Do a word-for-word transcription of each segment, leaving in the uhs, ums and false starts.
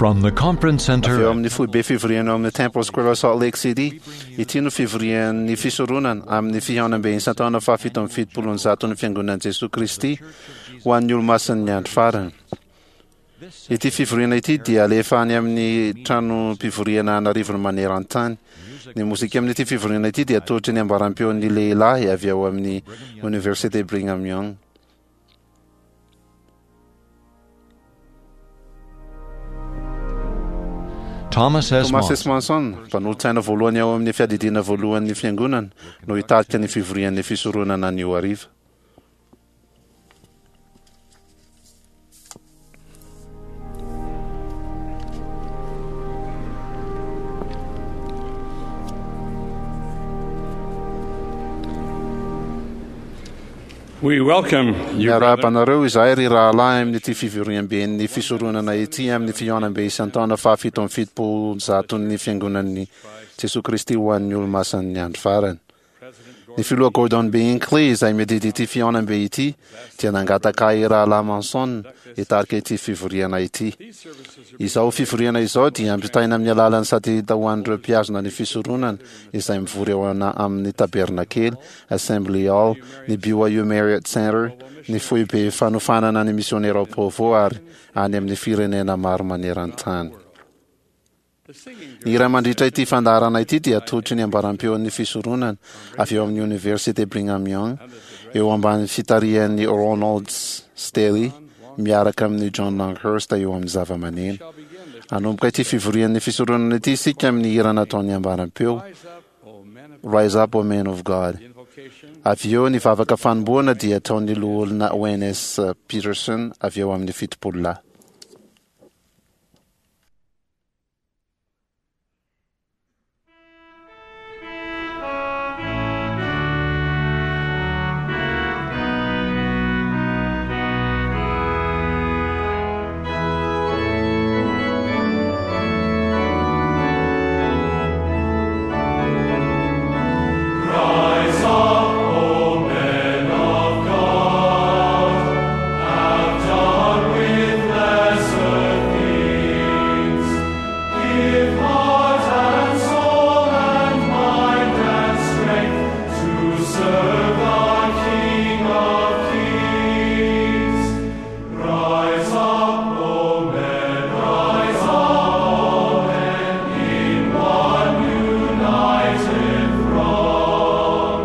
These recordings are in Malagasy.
From the conference Avy eo center amin'ny foibe fivoriana ao amin'ny Temple Square Salt Lake City, ity no fivorian'ny fisoronana amin'ny fihaonambe isan-taona fahafito amby fitopolo ny zaton'ny fiangonan'i Jesoa Kristy ho an'ny olomasin'ny andro farany. Ity fivoriana ity dia alefa any amin'ny tranom-pivoriana an'arivony maneran-tany. Ny mozika amin'ity fivoriana ity dia atolotry ny ambaram-peon'ny lehilahy avy ao amin'ny Université Brigham Young. Thomas S. Thomas S. Monson Monson, mpanolotsaina voalohany ao amin'ny fiadidiana voalohan'ny fiangonana, no hitarika ny fivorian'ny fisoronana anio hariva. We welcome you, Miarahaba brethren, anareo izahay ry rahalahy amin'ity fivoriamben'ny fisoronana ity amin'ny fihaonambe isan-taona fahafito amby fitopolo zaton'ny fiangonan'ny Jesoa Kristy ho an'ny olomasin'ny andro farany. Ny filoha Gordon B. Hinckley izay miadidy ity fihaonambe ity dia nangataka ahy rahalahy Manson hitarika ity fivoriana ity. Izao fivoriana izao dia ampitaina amin'ny alalan'ny satelita ho an'ireo mpihazona ny fisoronana izay mivory ao ana- amin'ny tabernakely, Assembly Hall, ny B Y U Marriott Center, ny foibe fanofanana ny misionera ao Provo ary any amin'ny firenena maro maneran-tany. Ny hira mandritra ity fandaharana ity dia atolotry ny ambaram-peon'ny fisoronana avy eo amin'ny Université Brigham Young eo ambany fitarihan'ny Ronald Staley miaraka amin'ny John Longhurst eo amin'ny zava-maneno. Hanomboka ity fivorian'ny fisoronana ity isika amin'ny hira nataon'ny ambaram-peo Rise up, O men of Rise Up, O Men of God. the invocation, Avy eo ny vavaka fanombohana dia ataon'ny loholona Wayne S. Peterson avy eo amin'ny fitopolo lahy. Rise up, O men of God, have done with lesser things. Give heart and soul and mind and strength to serve the King of Kings. Rise up, O men, rise up, O men, in one united throng.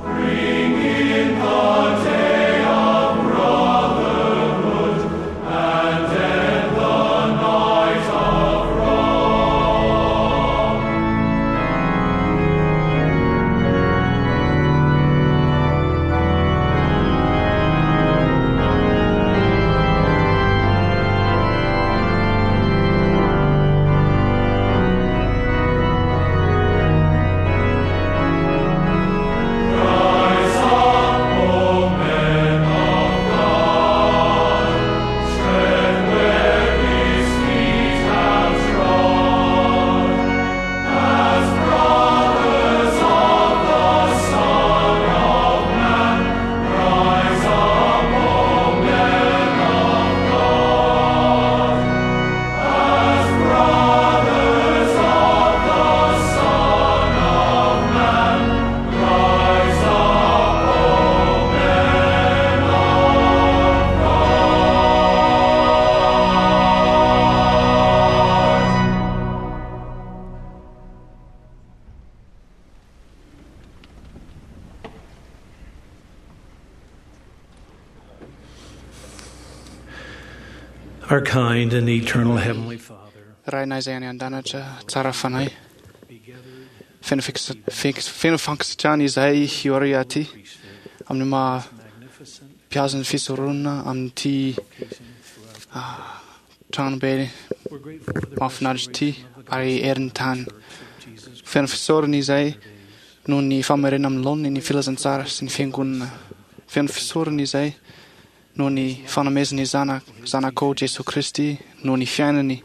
Bring in the day of brotherhood and end the night of wrong. Rise up, O men of God, tread where His feet have trod. As brothers of the Son of Man, rise up, O men of God. As brothers of the Son of Man, rise up, O men of God. Our kind and eternal Heavenly Father, Rainay izay any an-danitra, tsara fanahy. be gathered Feno fiksa- fik- feno fankasitrahana izahay hiory aty priesthood, amin'ny maha magnificent mpihazo ny fisoronana amin'ity vocation throughout. ah, tranobe We're grateful for the mahafinaritra ity restoration of the ary gospel herin'ny tany. church of Jesus Feno fisaorana izahay Christ days. noho ny famerenana amin'ny laoniny ny filazantsara sy ny fiangonana. Feno fisaorana izahay noho ny fanomezany zana zanakao Jesoa Kristy, noho ny fiainany,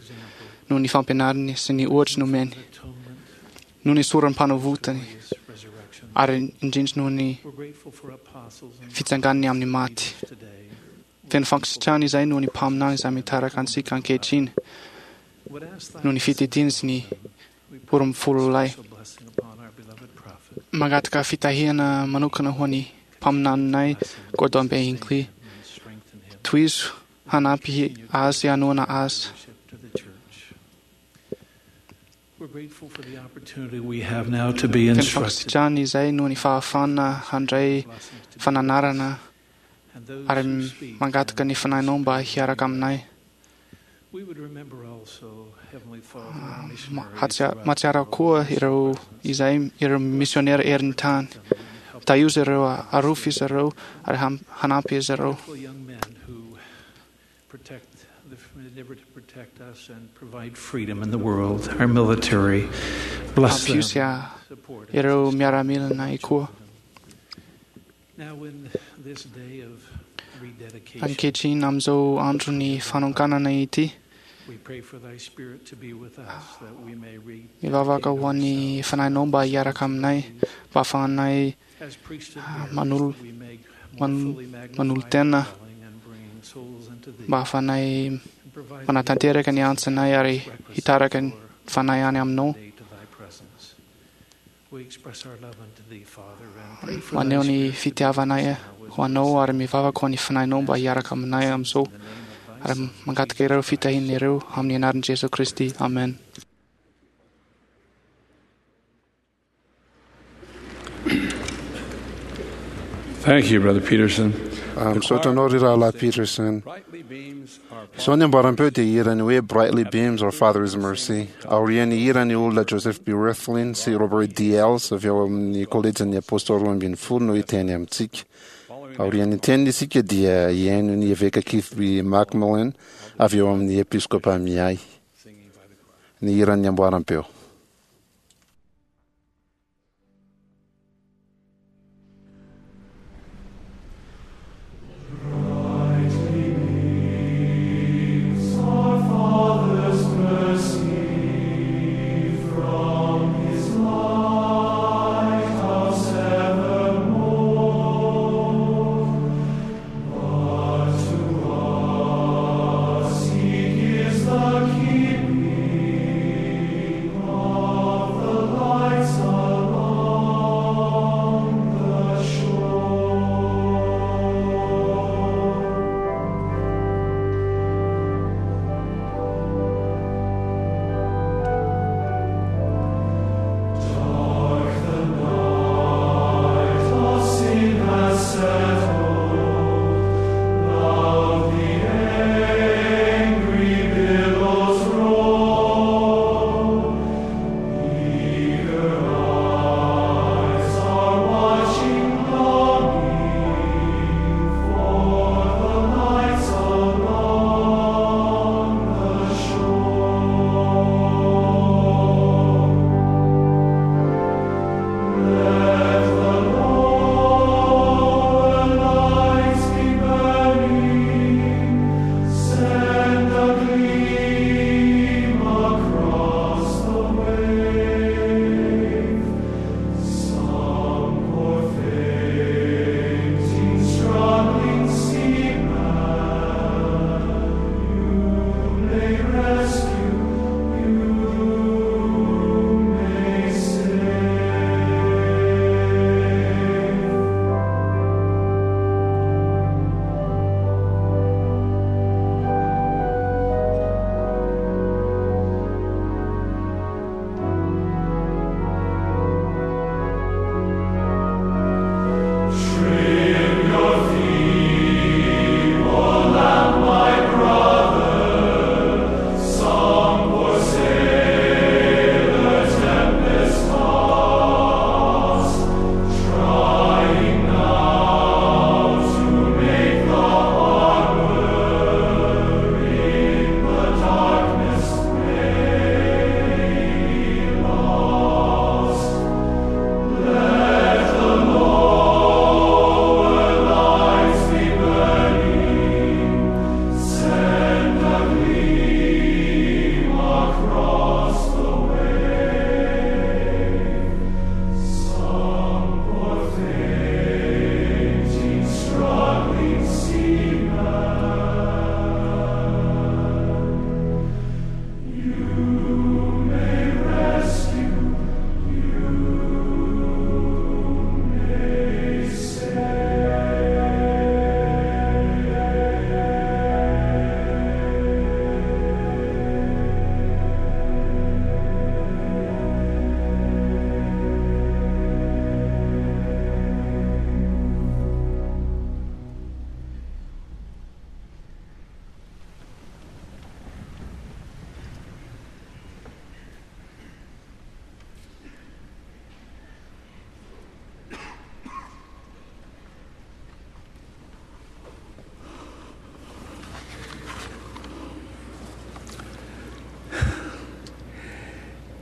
noho ny fampianarany sy ny ohatra nomeny, Atonement, noho ny soram-panavotany glorious resurrection. ary indrindra noho ny We're grateful for apostles and fitsanganany amin'ny maty. leaders today. Feno fankasitrahana izahay noho ny mpaminany izay mitaraka antsika ankehitriny. Would ask thy noho ny fitediany sy ny roa ambin'ny folo lahy. special blessing upon our beloved prophet. Mangataka fitahiana manokana ho an'ny mpaminaninay Gordon B. Hinckley. And strengthen him Tohizo hanampy azy hanohana azy. leadership to the church. We're grateful for the opportunity we have now to be Feno instructed. fankasitrahana izay noho ny fahafahana handray Blessings to be fananarana and those ary who speak mangataka ny fanahinao mba hiaraka aminay. We would remember also, Heavenly Father, our Ma- missionaries hatsia- throughout Mahatsiaro the koa world. ireo izay ireo misionera erin'ny tany. Help Tahio izy ireo, arofy izy ireo ary ham- hanampy izy ireo. wonderful young men who protect the endeavor to protect us and provide freedom in the world, our military. Bless Ampio sy them. a- Support and ireo sustain miaramilanay koa. Now in this day of rededication, Ankehitriny amin'izao andro ny fanonkanana ity, we pray for thy spirit to be with us that we may read mivavaka ho an'ny fanahinao mba hiaraka aminay, mba ahafahanay as priesthood Ah, bearers, manolo- that we may more man- fully magnify manolo-tena. thy calling and bringing souls unto thee, mba ahafahanay and provide manatanteraka ny antsinay ary requisite hitaraka ny for fanahy any aminao. day to thy presence. We express our love unto thee, Father, and pray for Maneho thy ny spirit to be fitiavanay with us now as ho we anao ary mivavaka ho an'ny fanahinao mba hiaraka aminay amin'izao in the name of thy ary Son, mangataka ireo fitahiana ireo amin'ny anaran'i Jesoa Kristy. Amen. Thank you, Brother Peterson. Ah, Misaotra anao ry rahalahy Peterson. Brightly beams our Izao ny amboaram-peo dia hirany hoe Brightly Beams Our Father's Mercy. Aorian'ny hirany olona Joseph B. Wirthlin sy Robert D. Els avy ao amin'ny kolejin'ny Apôstôly roa ambin'ny folo no hiteny amintsika. Aorian'ny teniny isika dia hihaino ny eveka Keith B. Macmillan avy eo amin'ny episkopa Miay. Ny hiran'ny amboaram-peo. Our Father's mercy from His lighthouse evermore. But to us He gives the keeping of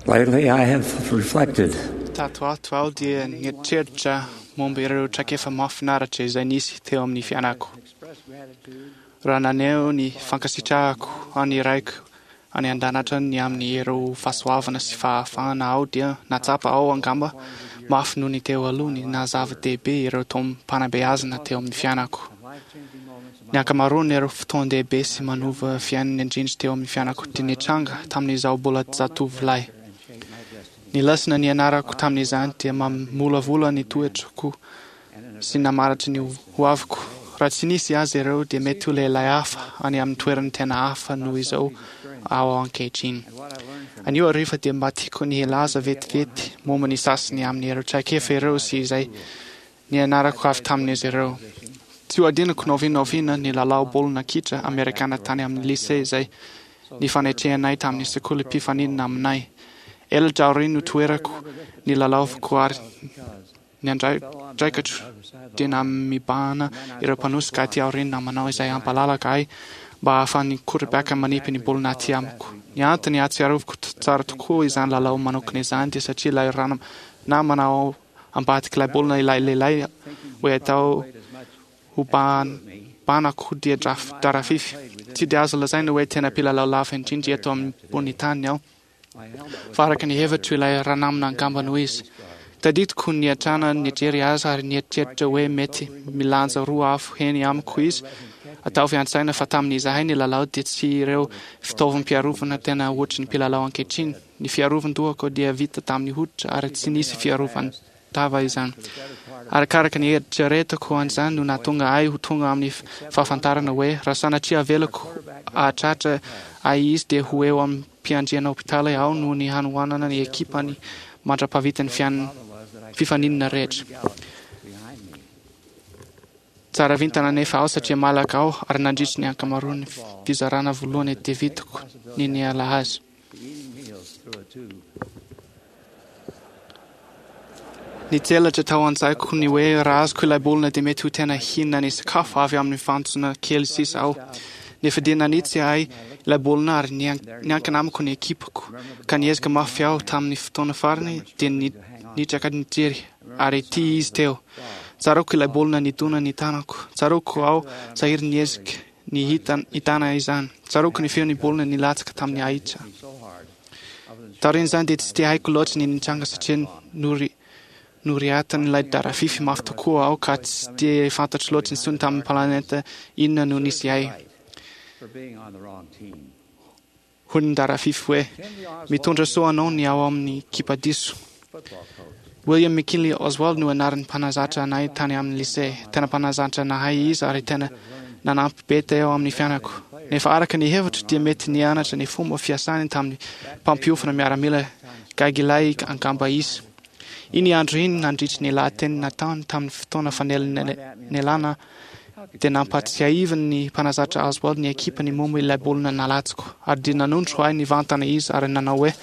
Lately, I have reflected Tato ato aho dia nieritreritra momba ireo traikefa mahafinaritra izay nisy teo amin'ny fiainako. Raha naneho ny fankasitrahako an'ny Raiko any an-danitra ny amin'ireo fahasoavana sy fahafahana aho dia nahatsapa aho angamba mafy noho ny teo aloha ny naha-zava-dehibe ireo taom-panabeazana teo amin'ny fiainako. Ny ankamaroan'ireo fotoan-dehibe sy manova fiainana indrindra teo amin'ny fiainako dia nitranga tamin'izaho mbola zatovolahy. Ny lesona nianarako tamin'izany dia mamolavola ny toetrako sy namaritra ny hoaviko. Raha tsy nisy azy ireo dia mety ho lehilahy hafa any amin'ny toerana tena hafa noho izao aho ankehitriny. Anio hariva dia mba tiako ny hilaza vetivety momba ny sasany amin'ireo traikefa ireo sy izay nianarako avy tamin'izy ireo. Tsy ho adinoko na oviana na oviana ny lalao baolina kitra amerikana tany amin'ny lycée izay nifanetrehanay tamin'ny sekoly mpifaninana aminay. Elatra aoriana no toerako ny lalaoviko ary ny andraikitro dia namibahana ireo mpanosika aty aoriana manao izay hampalalaka ahy mba ahafahan'ny quarterback manipy ny baolina aty amiko. Ny antony ahatsiarovako tsara tokoa izany lalao manokana izany dia satria ilay namana ao ambadik'ilay baolina ilay lehilahy hoe atao ho banako dia drafify. Tsy dia azo lazaina hoe tena mpilalao lava indrindra eto ambony tany aho, fa araka ny hevitro ilay ranamana angamba no izy. Tadidiko niatrana nijery azy ary nieritreritra hoe mety milanja roa avo heny amiko izy. Ataovy an-tsaina fa tamin'izahay ny lalao dia tsy ireo fitaovam-piarovana tena ohatry ny mpilalao ankehitriny. Ny fiarovan-dohako dia vita tamin'ny hoditra ary tsy nisy fiarovan-tava izany. Arakaraka ny eritreretako an'izany no nahatonga ahy ho tonga amin'ny fahafantarana hoe raha sanatria avelako hahatratra ahy izy dia ho eo amin'ny mpiandriana hopitaly aho noho ny hanoanana ny ekipany mandra-pahavitan'ny fifaninana rehetra. Tsara vintana anefa aho satria malaka aho ary nandritry ny ankamaroan'ny fizarana voalohany dia vitako ny niala azy. Nitselatra tao an-tsaiko ny hoe raha azoko ilay baolina dia mety ho tena hihinana ny sakafo avy amin'ny fantsona kely sisa aho. Nefa dia nanitsy ahy ilay baolina ary niankina amiko ny ekipako ka niezaka mafy aho tamin'ny fotoana farany dia nitraka nijery ary ity izy teo. Tsaroako ilay baolina nidona ny tanako. Tsaroako aho sahiry niezaka ny hitana izany. Tsaroako ny feon'ny baolina nilatsaka tamin'ny ahitra. Taorian'izany dia tsy dia haiko loatra ny nitranga satria nory noriatan'ilay darafify mafy tokoa aho ka tsy dia fantatro loatra intsony tamin'ny planeta inona no nisy ahy. Hoy ny darafify hoe mitondra soa anao ny ao amin'ny ekipa diso. William McKinley Oswald no anaran'ny mpanazatra anay tany amin'ny lycée. Tena mpanazatra nahay izy ary tena nanampy be teo amin'ny fiainako. Nefa araka ny hevitro dia mety nianatra ny fomba fiasany tamin'ny mpampiofana miaramila gaigilahy angamba izy. Iny andro iny nandritry ny lahateny nataony tamin'ny fotoana fanelanelana dia nampahatsiahivin'ny mpanazatra Oswald ny ekipany momba ilay baolina nalatsiko ary dia nanondro ahy nivantana izy ary nanao hoe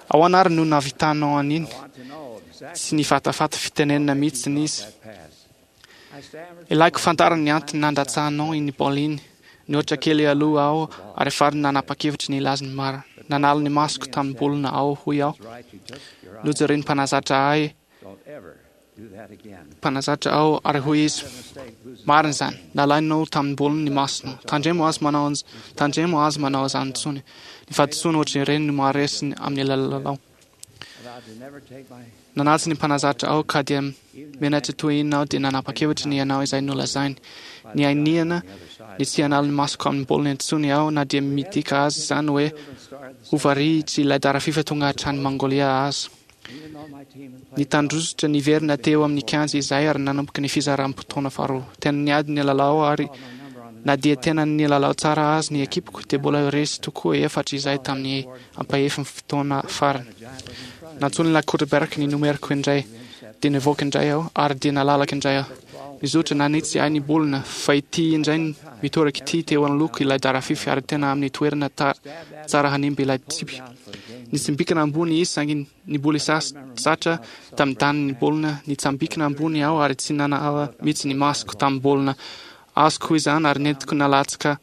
ahoana ary no nahavitanao an'iny. Tsy nifatafata fitenenana mihitsy izy. Ilaiko fantarina ny antony nandatsahanao iny baolina iny. Nihoatra kely aloha aho ary farany nanapa-kevitra ny hilaza ny marina. Nanala ny masoko tamin'ny baolina aho hoy aho. Nojeren'ny mpanazatra ahy mpanazatra aho ary hoy izy marina izany, nalainao tamin'ny baolina ny masonao. Tandremo azy manao tandremo azy manao izany intsony. Ny fahadisoana ohatran'ireny no maharesy amin'ny lalao. Nanatsy ny mpanazatra aho ka dia menatra toy inona aho dia nanapa-kevitra ny hanao izay nolazainy. Ny ainiana ny tsy hanala ny masoko amin'ny baolina intsony aho na dia midika azy izany hoe ho varihitsy ilay darafifa tonga hatrany Mongolia azy. Nitandrosotra niverina teo amin'ny kianja izahay ary nanomboka ny fizaram-potoana faharoa. Tena niady ny lalao ary na dia tena nilalao tsara azy ny ekipako dia mbola resy tokoa efatra izahay tamin'ny ampahefin'ny fotoana farany. Nantsoin'ilay quarterback ny nomeriko indray dia nivoaka indray aho ary dia nalalaka indray aho. Nizotra nanitsy ahy ny baolina fa ity indray mitoraka ity teo anoloako ilay darafify ary tena amin'ny toerana tsara hanimba ilay tsipy. Nitsambikina ambony izy saingy niboly satra tamin'ny tany ny baolina. Nitsambikina ambony aho ary tsy nanala mihitsy ny masoko tamin'ny baolina. Azoko izany ary nentiko nalatsaka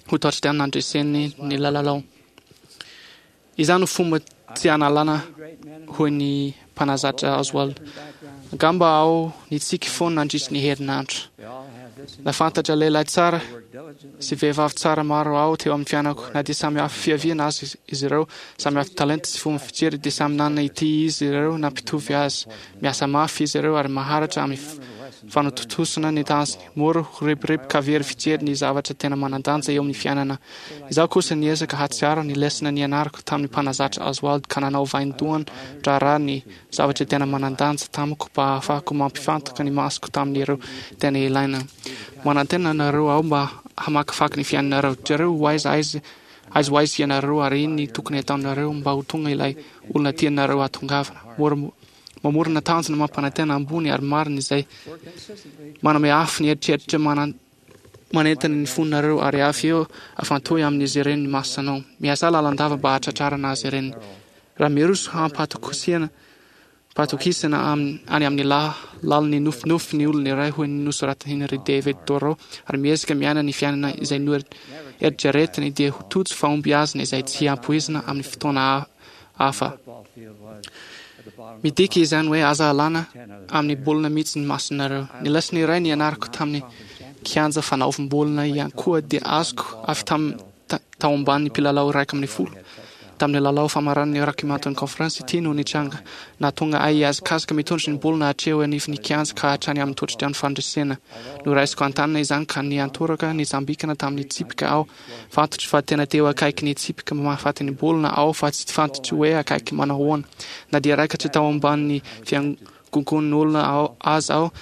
ho touchdown nandreseny ny lalao. Izany no fomba Tsy analana, hoy ny mpanazatra Oswald. Angamba aho nitsiky foana nandritry ny herinandro. Nahafantatra lehilahy tsara sy vehivavy tsara maro aho teo amin'ny fiainako. Na dia samy hafa fiaviana aza izy ireo, samy hafa talenta sy fomba fijery, dia samy nanana ity izy ireo nampitovy azy. Miasa mafy izy ireo ary maharitra amin'ny fanatontosana ny tanjony. Mora ho rebireby ka very fijery ny zavatra tena manan-danja eo amin'ny fiainana. Izaho kosa niezaka hahatsiaro ny lesona nianarako tamin'ny mpanazatra Oswald ka nanao vaindohan-draharaha ny zavatra tena manan-danja tamiko mba hahafahako mampifantoka ny masoko tamin'ireo tena ilaina. Manantena anareo aho mba hamakivaky ny fiainanareo. Jereo ho aiza aiza aiza ho aiza ianareo ary inona ny tokony hataonareo mba ho tonga ilay olona tianareo hahatongavana. Mora mamorona tanjona mampanantena ambony ary marina izay manome afo ny eritreritra manentana ny fonareo ary avy eo afantohy amin'izy ireny ny masonao. Miasà lalandava mba hahatratrarana azy ireny. Raha miroso hampatokisana patokisana any amin'ny lalin'ny nofinofy ny olona iray, hoy ny nosoratan'i Henry David Thoreau, ary miezaka miaina ny fiainana izay noeritreretiny, dia ho tojo fahombiazana izay tsy ampoizina amin'ny fotoana hafa. Midika izany hoe aza alana amin'ny baolina mihitsy ny masonareo. Ny lesona iray nianarako tamin'ny kianja fanaovam-baolina ihany koa dia azoko avy tamin'ny tao ambanin'ny mpilalao iraika ambin'ny folo. Tamin'ny lalao famaranan'ny Rocky Mountain Conference ity no nitranga. Nahatonga ahy hihazakazaka mitondra ny baolina hatreo anivon'ny kianja ka hatrany amin'ny totodrano fandresena. Noraisiko an-tanana izany ka niantoraka nitsambikina tamin'ny tsipika aho. Fantatro fa tena teo akaiky ny tsipika mahafaty ny baolina aho fa tsy fantatro hoe akaiky manao ahoana. Na dia raikatra tao ambanin'ny fiangongon'olona aza aho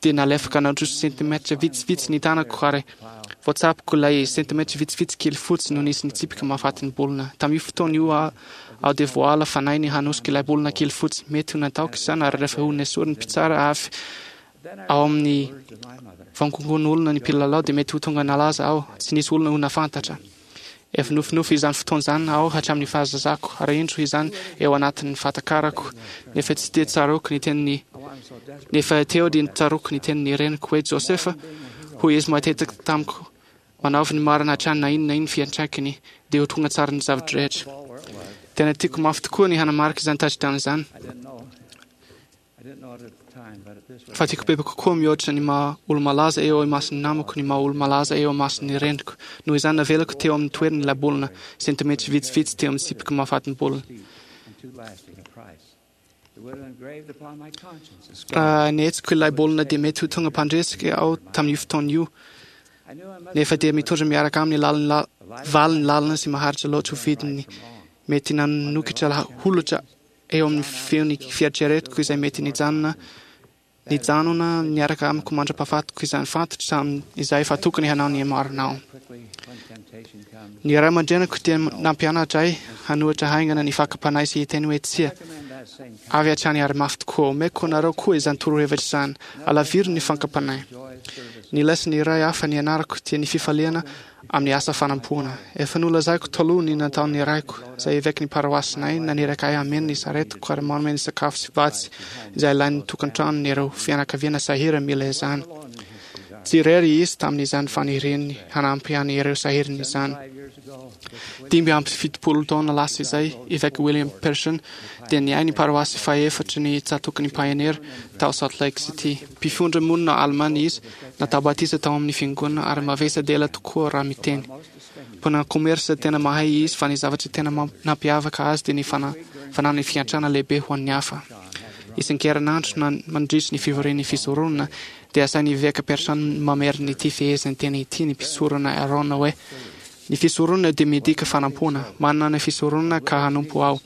dia nalefaka nandroso sentimetatra vitsivitsy ny tanako ary voatsapiko ilay sentimetatra vitsivitsy kely fotsy no nisy ny tsipika mahafaty ny baolina. Tamin'io fotoana io aho dia voaala fanahy ny hanosika ilay baolina kely fotsy. Mety ho nataoko izany ary rehefa ho nesorin'ny mpitsara avy ao amin'ny vangongon'olona ny mpilalao dia mety ho tonga nalaza aho. Tsy nisy olona ho nahafantatra. Efa nofinofy izany fotoana izany aho hatramin'ny fahazazako, ary indro izany eo anatin'ny fahatakarako, nefa tsy dia tsaroako ny tenin'ny nefa teo dia tsaroako ny tenin'ny reniko hoe, Josefa, hoy izy matetika tamiko, manaovy ny marina hatrany na inona na inona fiantraikany, dia ho tonga tsara ny zava-drehetra. Tena tiako mafy tokoa ny hanamarika izany touchdown izany. Fa tiako bebe kokoa mihoatra ny maha olo-malaza eo imason'ny namako ny maha olo-malaza eo imason'ny reniko. Noho izany navelako teo amin'ny toerany ilay baolina, sentimetry vitsivitsy teo amin'ny tsipiko mahafaty ny baolina. Raha nihetsiko ilay baolina dia mety ho tonga mpandresy aho tamin'io fotoana io. Nefa dia mitondra miaraka aminy lalina valiny lalina sy maharitra loatra ho vidiny mety nanokatra holatra eo amin'ny feon'ny fieritreretiko izay mety nijanona nijanona niaraka amiko mandra-pahafatiko izany. Fantatro tamin'izay fa tokony hanao ny marina aho. Ny ray aman-dreniko dia nampianatra ahy hanohitra haingana ny fakam-panahy sy hiteny hoe tsia avy hatrany ary mafy tokoa. Omeko anareo koa izany torohevitra izany. Alaviro ny fakam-panahy. Ny lesona iray hafa nianarako dia ny fifaliana amin'ny asa fanampoana. Efa nolazaiko taloha ny nataon'ny raiko, izay evekin'ny paroasinay, naniraka ahy hameno ny saretiko ary manome ny sakafo sy vatsy izay ilain'ny tokantranony ireo fianakaviana sahirana mila izany. Tsy irery izy tamin'izany faniriany hanampy an'ireo sahirana izany. Dimy amby fitopolo taona lasa izay, Eveka William Pearson dia niahy ny paroasy fahefatry ny tsatòkin'ny Pioneer tao Salt Lake City. Mpifindra monina alemana izy, natao batisa tao amin'ny fiangonana ary mavesa-dela tokoa raha miteny. Mpanao commerce tena mahay izy fa ny zavatra tena nampiavaka azy dia ny fananany fiantrana lehibe ho an'ny hafa. Isan-kerinandro na mandritry ny fivorian'ny fisoronana dia asain'ny Eveka Pearson mamerina ity fehezanteny ity ny mpisorona Aaron hoe, Ny fisoronana dia midika fanampoana. Manana ny fisoronana ka hanompo aho.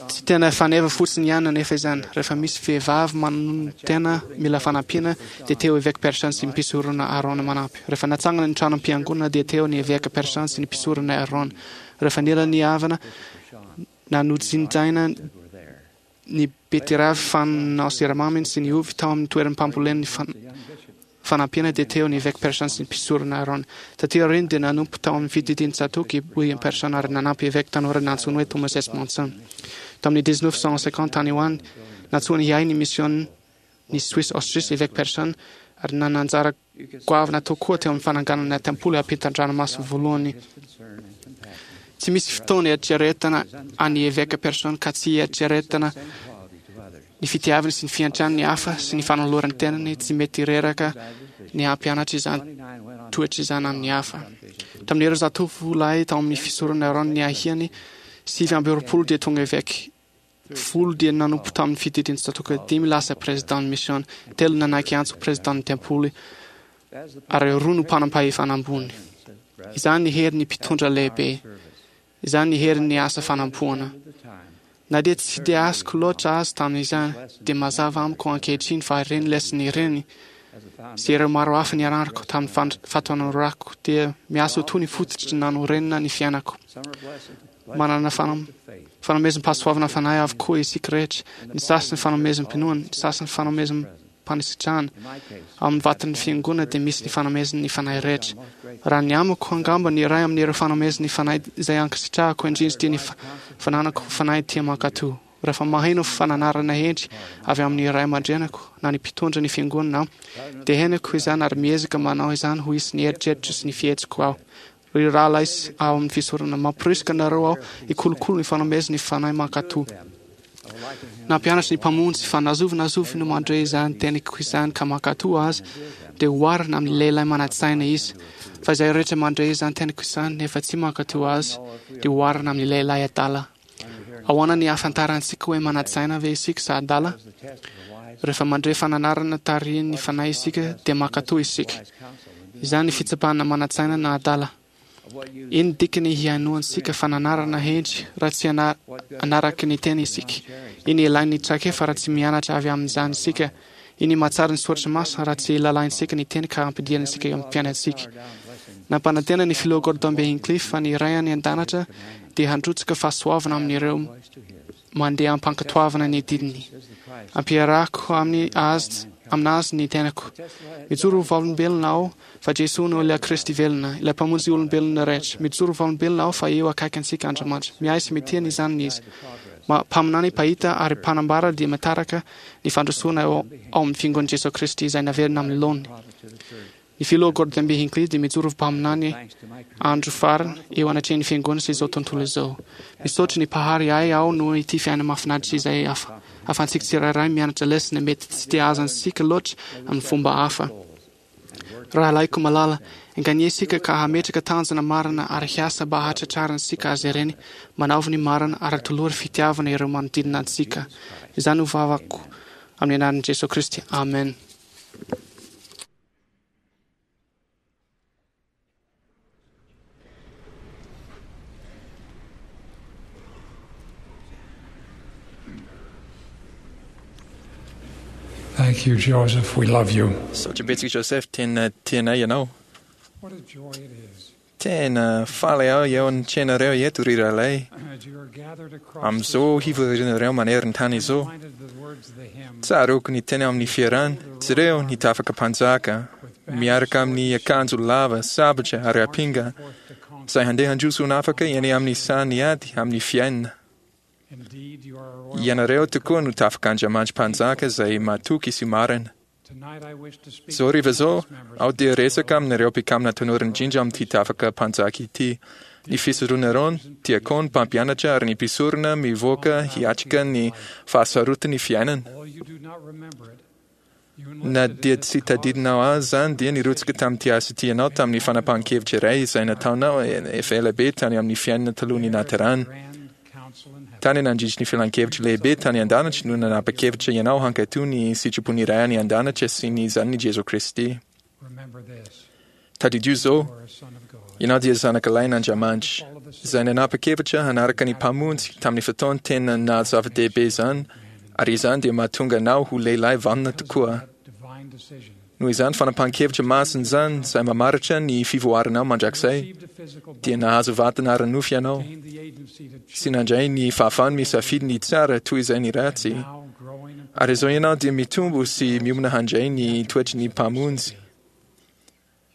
Tsy tena faneva fotsiny ihany anefa izany. Rehefa misy vehivavy manonotena mila fanampiana dia teo Eveka Pearson sy ny mpisorona Aaron manampy. Rehefa natsangana ny tranom-piangonana dia teo ny Eveka Pearson sy ny mpisorona Aaron. Rehefa nila ny havana na nojinjaina ny betiravy fanao siramamy sy ny ovy tao amin'ny toeram-pambolen'ny fanampiana dia teo ny Eveka Pearson sy ny mpisorona Aaron. Taty aoriana dia nanompo tao amin'ny fididian'i Tsatoky i William Pearson ary nanampy eveka tanora nantsoiny hoe Thomas S. Monson. Tamin'ny dix-neuf cent cinquante tany ho any, nantsoiny hiahy ny misiôn'ny Suisse Autriche Eveka Pearson ary nanana anjara goavana tokoa teo amin'ny fananganana ny tempoly ampitan-dranomasina voalohany Tsy misy fotoana eritreretana an'i Eveka Pearson ka tsy eritreretana ny fitiavany sy ny fiantrany ny hafa sy ny fanolorany tenany tsy mety reraka ny hampianatra izany toetra izany amin'ny hafa. Tamin'ireo zatovo lahy tao amin'ny fisorona Aaron ny ahiany sivy amby roapolo dia tonga eveka. Folo dia nanompo tamin'ny fididin'ny tsatòka, dimy lasa président mission, telo nanaiky antso président ny tempoly, ary roa no mpanam-pahefana ambony. Izany ny herin'ny mpitondra lehibe. Izany ny herin'ny asa fanompoana. Na dia tsy dia azoko loatra azy tamin'izany, dia mazava amiko ankehitriny fa ireny lesona ireny sy ireo maro hafa nianarako tamin'ny fahatanorako dia miasa ho toy ny fototry nanorenana ny fiainako. Manana fanomezam-pahasoavana fanahy avokoa isika rehetra, ny sasany fanomezam-pinoana, ny sasany fanomezam-panisitrahana. Ao amin'ny vatan'ny fiangonana dia misy ny fanomezan'ny fanahy rehetra. Raha ny amiko, angamba ny iray amin'ireo fanomezan'ny fanahy izay ankasitrahako indrindra dia ny fananako fanahy tia mankatò. Rehefa maheno fananarana hendry avy amin'ny ray aman-dreniko na ny mpitondra ny fiangonana aho, dia henoko izany ary miezaka manao izany ho isan'ny eritreritro sy ny fihetsiko aho. Ry rahalahy ao amin'ny fisorona, mamporisika anareo aho hikolokolo ny fanomezan'ny fanahy mankatò. Nampianatra ny Mpamonjy fa na zovy na zovy no mandre izany teniko izany ka mankatò azy, dia oharina amin'ny lehilahy manan-tsaina izy. Fa izay rehetra mandre izany teniko izany nefa tsy mankatò azy, dia oharina amin'ny lehilahy adala. Ahoana ny ahafantarantsika hoe manan-tsaina ve isika sa adala? Rehefa mandre fananarana tarihin'ny fanahy isika, dia mankatò isika. Izany ny fitsapana manan-tsaina na adala. Ino dikany hihainoantsika fananarana hendry raha tsy anaraky ny teny isika? Ino ilain'ny traikefa raha tsy mianatra avy amin'izany isika? Ino mahatsara ny soratra masina raha tsy lalaintsika ny teny ka ampidirantsika eo amin'ny fiainantsika? Nampanantena ny filoha Gordon B. Hinckley fa ny Ray any an-danitra dia handrotsaka fahasoavana amin'ireo mandeha am-pankatoavana ny didiny. Ampiarahako amin'ny azy aminazy ny tenako. Mijoro ho vavolombelona aho fa Jesoa no ilay Kristy velona, ilay Mpamonjy olombelona rehetra. Mijoro ho vavolombelona aho fa eo akaiky antsika Andriamanitra. Miahy sy mitia ny zanany Izy. Mpaminany, mpahita ary mpanambara dia mitaraka ny fandrosoana ao amin'ny Fiangonan'i Jesoa Kristy izay naverina amin'ny laoniny. Ny filoha Gordon B. Hinckley dia mijoro ho mpaminany andro farany eo anatrehan'ny Fiangonana sy izao tontolo izao. Misaotra ny Mpahary ahy aho noho ity fiainana mahafinaritra izay ahafahantsika tsirairay mianatra lesona mety tsy dia azontsika loatra amin'ny fomba hafa. Rahalahiko malala, enganie isika ka hametraka tanjona marina ary hiasa mba hahatratrarantsika azy ireny. Manaovy ny marina ary atolory fitiavana ireo manodidina antsika. Izany no vavako amin'ny anaran'i Jesoa Kristy. Amen. Thank you, Joseph. We love you. Misaotra betsaka Joseph, tena tianay ianao. What a joy it is Tena faly aho eo an-tsenareo eto ry rahalahy. as you are gathered across Amin'izao hivorianareo maneran-tany izao. reminded of the words of the hymn Tsaroako ny teny amin'ny fiarahana. Jereo ny tafaka mpanjaka miaraka amin'ny akanjo lava, sabatra ary ampinga forth to conquer. izay handeha handroso ho afaka eny amin'ny sahan'ny ady amin'ny fiainana. Indeed, you are a royal. Ianareo tokoa no tafaka Andriamanitra mpanjaka izay matoky sy marina. Tonight I wish to speak Zao hariva zao, to members aho dia resaka amin'ireo mpikambana tanora indrindra amin'ity tafaka mpanjaka ity. Ny fisorona Aaron, diakona, mpampianatra ary ny mpisorona mivoaka hiatrika ny fahasarotin'ny fiainana. Although you do not remember it, you Na enlisted dia in this tsy tadidinao azy izany dia nirotsaka tamin'ity asa ity ianao tamin'ny fanapahan-kevitra iray izay nataonao efa ela be tany amin'ny fiainana talohan'ny nahaterahana. grand council in heaven. Tany nandritry ny filan-kevitra lehibe tany an-danitra no nanapa-kevitra ianao hankatò ny sitrapon'ny Ray any an-danitra sy ny zanany Jesoa Kristy. Remember this. Tadidio zao, You are a son of God. ianao dia zanaka lahin'Andriamanitra izay nanapa-kevitra hanaraka ny Mpamonjy tamin'ny fotoana tena naha-zava-dehibe izany, ary izany dia mahatonga anao ho lehilahy vanona tokoa. That divine decision. Noho izany fanapahan-kevitra masina izany izay mamaritra ny fivoaranao mandrakizay, Received a physical dia nahazo vatana ara-nofo ianao gained the agency to sy nandray ny fahafahany misafidy ny tsara toy izay ny ratsy. now growing and Ary izao ianao dia mitombo sy miomana handray ny toetry ny Mpamonjy.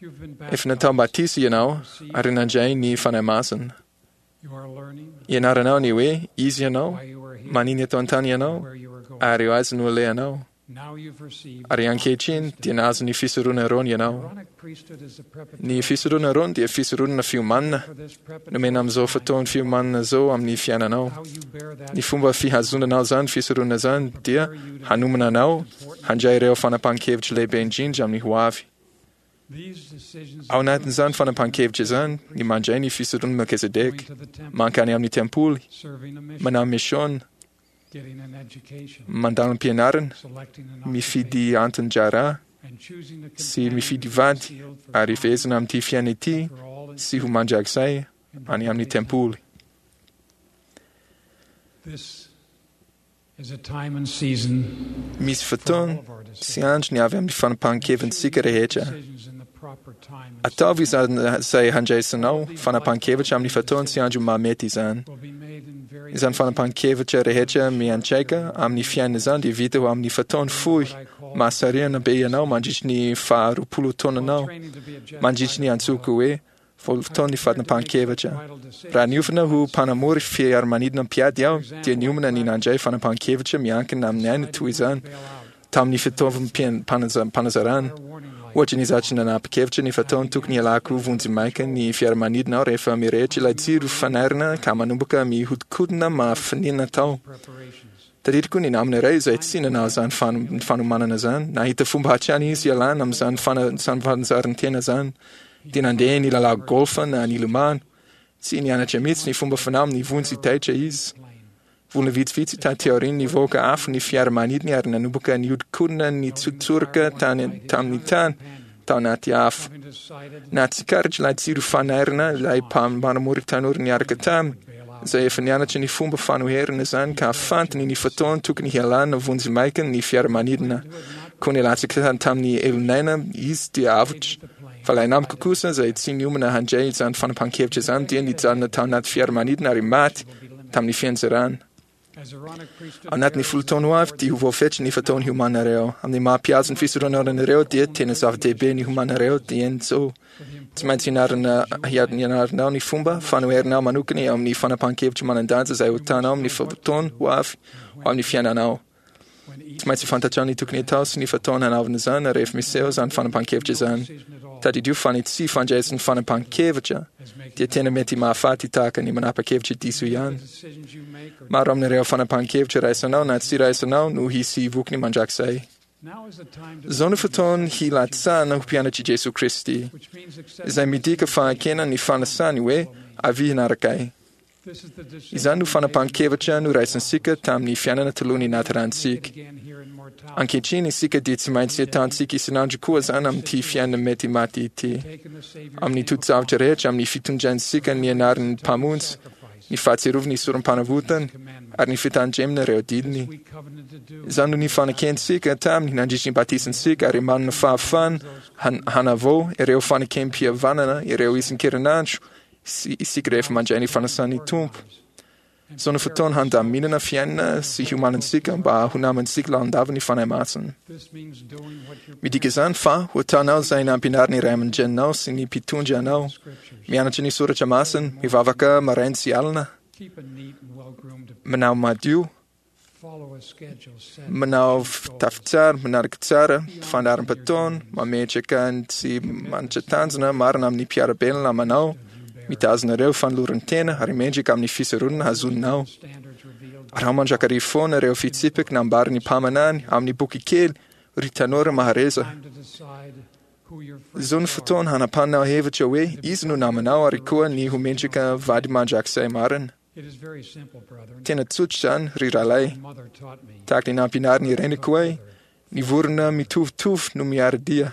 you've been Efa natao batisa ianao ary nandray ny Fanahy Masina. You are learning Ianaranao ny hoe izy ianao, why you are here, manina eto an-tany ianao, where you are going. ary eo azy no alehanao. Ary ankehitriny dia nahazo ny fisoronana Aarôna ianao. Ny fisoronana Aarôna dia fisoronana fiomanana nomena amin'izao fotoan'ny fiomanana izao amin'ny fiainanao. Ny fomba fihazonanao izany fisoronana izany dia hanomana anao handray ireo fanapahan-kevitra lehibe indrindra amin'ny hoavy. Ao anatin'izany fanapahan-kevitra izany ny mandray ny fisoronana Melkizedeka, mankany amin'ny tempoly, manao misiona, mandalo am-pianarana, mifidy anton-draharaha sy mifidy vady ary fehezina amin'ity fiainana ity sy ho mandrakizay any amin'ny tempoly. Misy fotoana sy andro ny avy amin'ny fanapahan-kevintsika rehetra. Ataovy izay handraisanao fanapahan-kevitra amin'ny fotoana sy andro mahamety izany. Izany fanapahan-kevitra rehetra miantraika amin'ny fiainana izany dia vita ho amin'ny fotoana fohy mahasarihana be ianao mandritry ny faharoapolo taonanao, mandritry ny antsoiko hoe voalofotoan'ny fanapahan-kevitra. Raha niofana ho mpanamory fiaramanidina mpiady aho, dia niomana ny nandray fanapahan-kevitra miankina amin'ny aina toy izany tamin'ny fitaovam-panazarana. Ohatra, nizatra nanapa-kevitra ny fotoana tokony hialako vonjimaika ny fiaramanidina aho rehefa mirehitra ilay jiro fanairana ka manomboka mihodinkodina mahafinina tao. Tadidiko ny namana iray izay tsy nanao izany fanomanana izany. Nahita fomba hatrany izy hialana amin'izany fanazaran-tena izany. Dia nandeha nilalao golf na nilomano. Tsy nianatra mihitsy ny fomba fanao amin'ny vonjy taitra izy. Volana vitsivitsy taty aoriana nivoaka afo ny fiaramanidiny ary nanomboka nihodinkodina nitsotsoroka tany tamin'ny tany tao anaty afo. Nahatsikaritra ilay jiro fanairana ilay mpanamory tanora niaraka taminy, izay efa nianatra ny fomba fanoherana izany ka fantany ny fotoana tokony hialana vonjimaika ny fiaramanidina. Koa nilatsaka tamin'ny elonaina izy dia avotra. Fa ilay namako kosa izay tsy niomana handray izany fanapahan-kevitra izany dia nijanona tao anaty fiaramanidina ary maty tamin'ny fianjerana. Ao anatin'ny folo taona ho avy dia ho voafetra ny fotoana hiomanareo. Amin'ny maha mpihazo ny fisoronanareo dia tena zava-dehibe ny hiomanareo dieny izao. Tsy maintsy ianarana ianaranao ny fomba fanoherinao manokana eo amin'ny fanapahan-kevitra manan-danja izay ho hitanao amin'ny fotoana ho avy ho amin'ny fiainanao. Tsy maintsy fantatrao ny tokony hatao sy ny fotoana hanaovana izany rehefa miseho izany fanapahan-kevitra izany. Tadidio fa ny tsy fandraisan'ny fanapahan-kevitra dia tena mety mahafaty tahaka ny manapa-kevitra diso ihany. Maro amin'ireo fanapahan-kevitra raisinao na tsy raisinao no hisy vokany mandrakizay. Izao no fotoana hilatsahana ho mpianatr'i Jesoa Kristy, izay midika fahakena ny fanasany hoe avia hanaraka ahy. Izany no fanapahan-kevitra noraisintsika tamin'ny fiainana talohan'ny nahaterahantsika. Ankehitriny isika dia tsy maintsy atantsika isan'andro koa izany amin'ity fiainana mety maty ity. Amin'ny toe-javatra rehetra, amin'ny fitondrantsika ny anaran'ny Mpamonjy, ny fahatsiarovana ny sorom-panavotany, ary ny fitandremana ireo didiny. Izany no nifanakentsika taminy nandritry ny batisantsika ary manana fahafahana hanavao ireo fanekem-pihavanana ireo isan-kerinandro isika rehefa mandray ny fanasan'ny Tompo. Izao no fotoana handaminana fiainana sy hiomanantsika mba ho namantsika lalandava ny Fanahy Masina. Midika izany fa ho ataonao izay nampianarin'ny ray aman-dreninao sy ny mpitondra anao, mianatra ny soratra masina, mivavaka maraina sy alina, manao madio, manao fitafy tsara, manaraka tsara fandaharam-potoana, mametraka ny tsy manitra tanjona marina amin'ny mpiara-belona namanao, mitazona ireo fanoloran-tena ary mendrika amin'ny fisoronana hazoninao. Araho mandrakariva foana ireo fitsipika nambaran'ny mpaminany amin'ny boky kely Ry Tanora Mahareza. Izao no fotoana hanapanao hevitra hoe iza no namanao ary koa ny ho mendrika vady mandrakizay marina. Tena tsotra izany, ry rahalahy. Tahaka ny nampianarin'ny reniko ahy, ny vorona mitovitovy no miara-dia.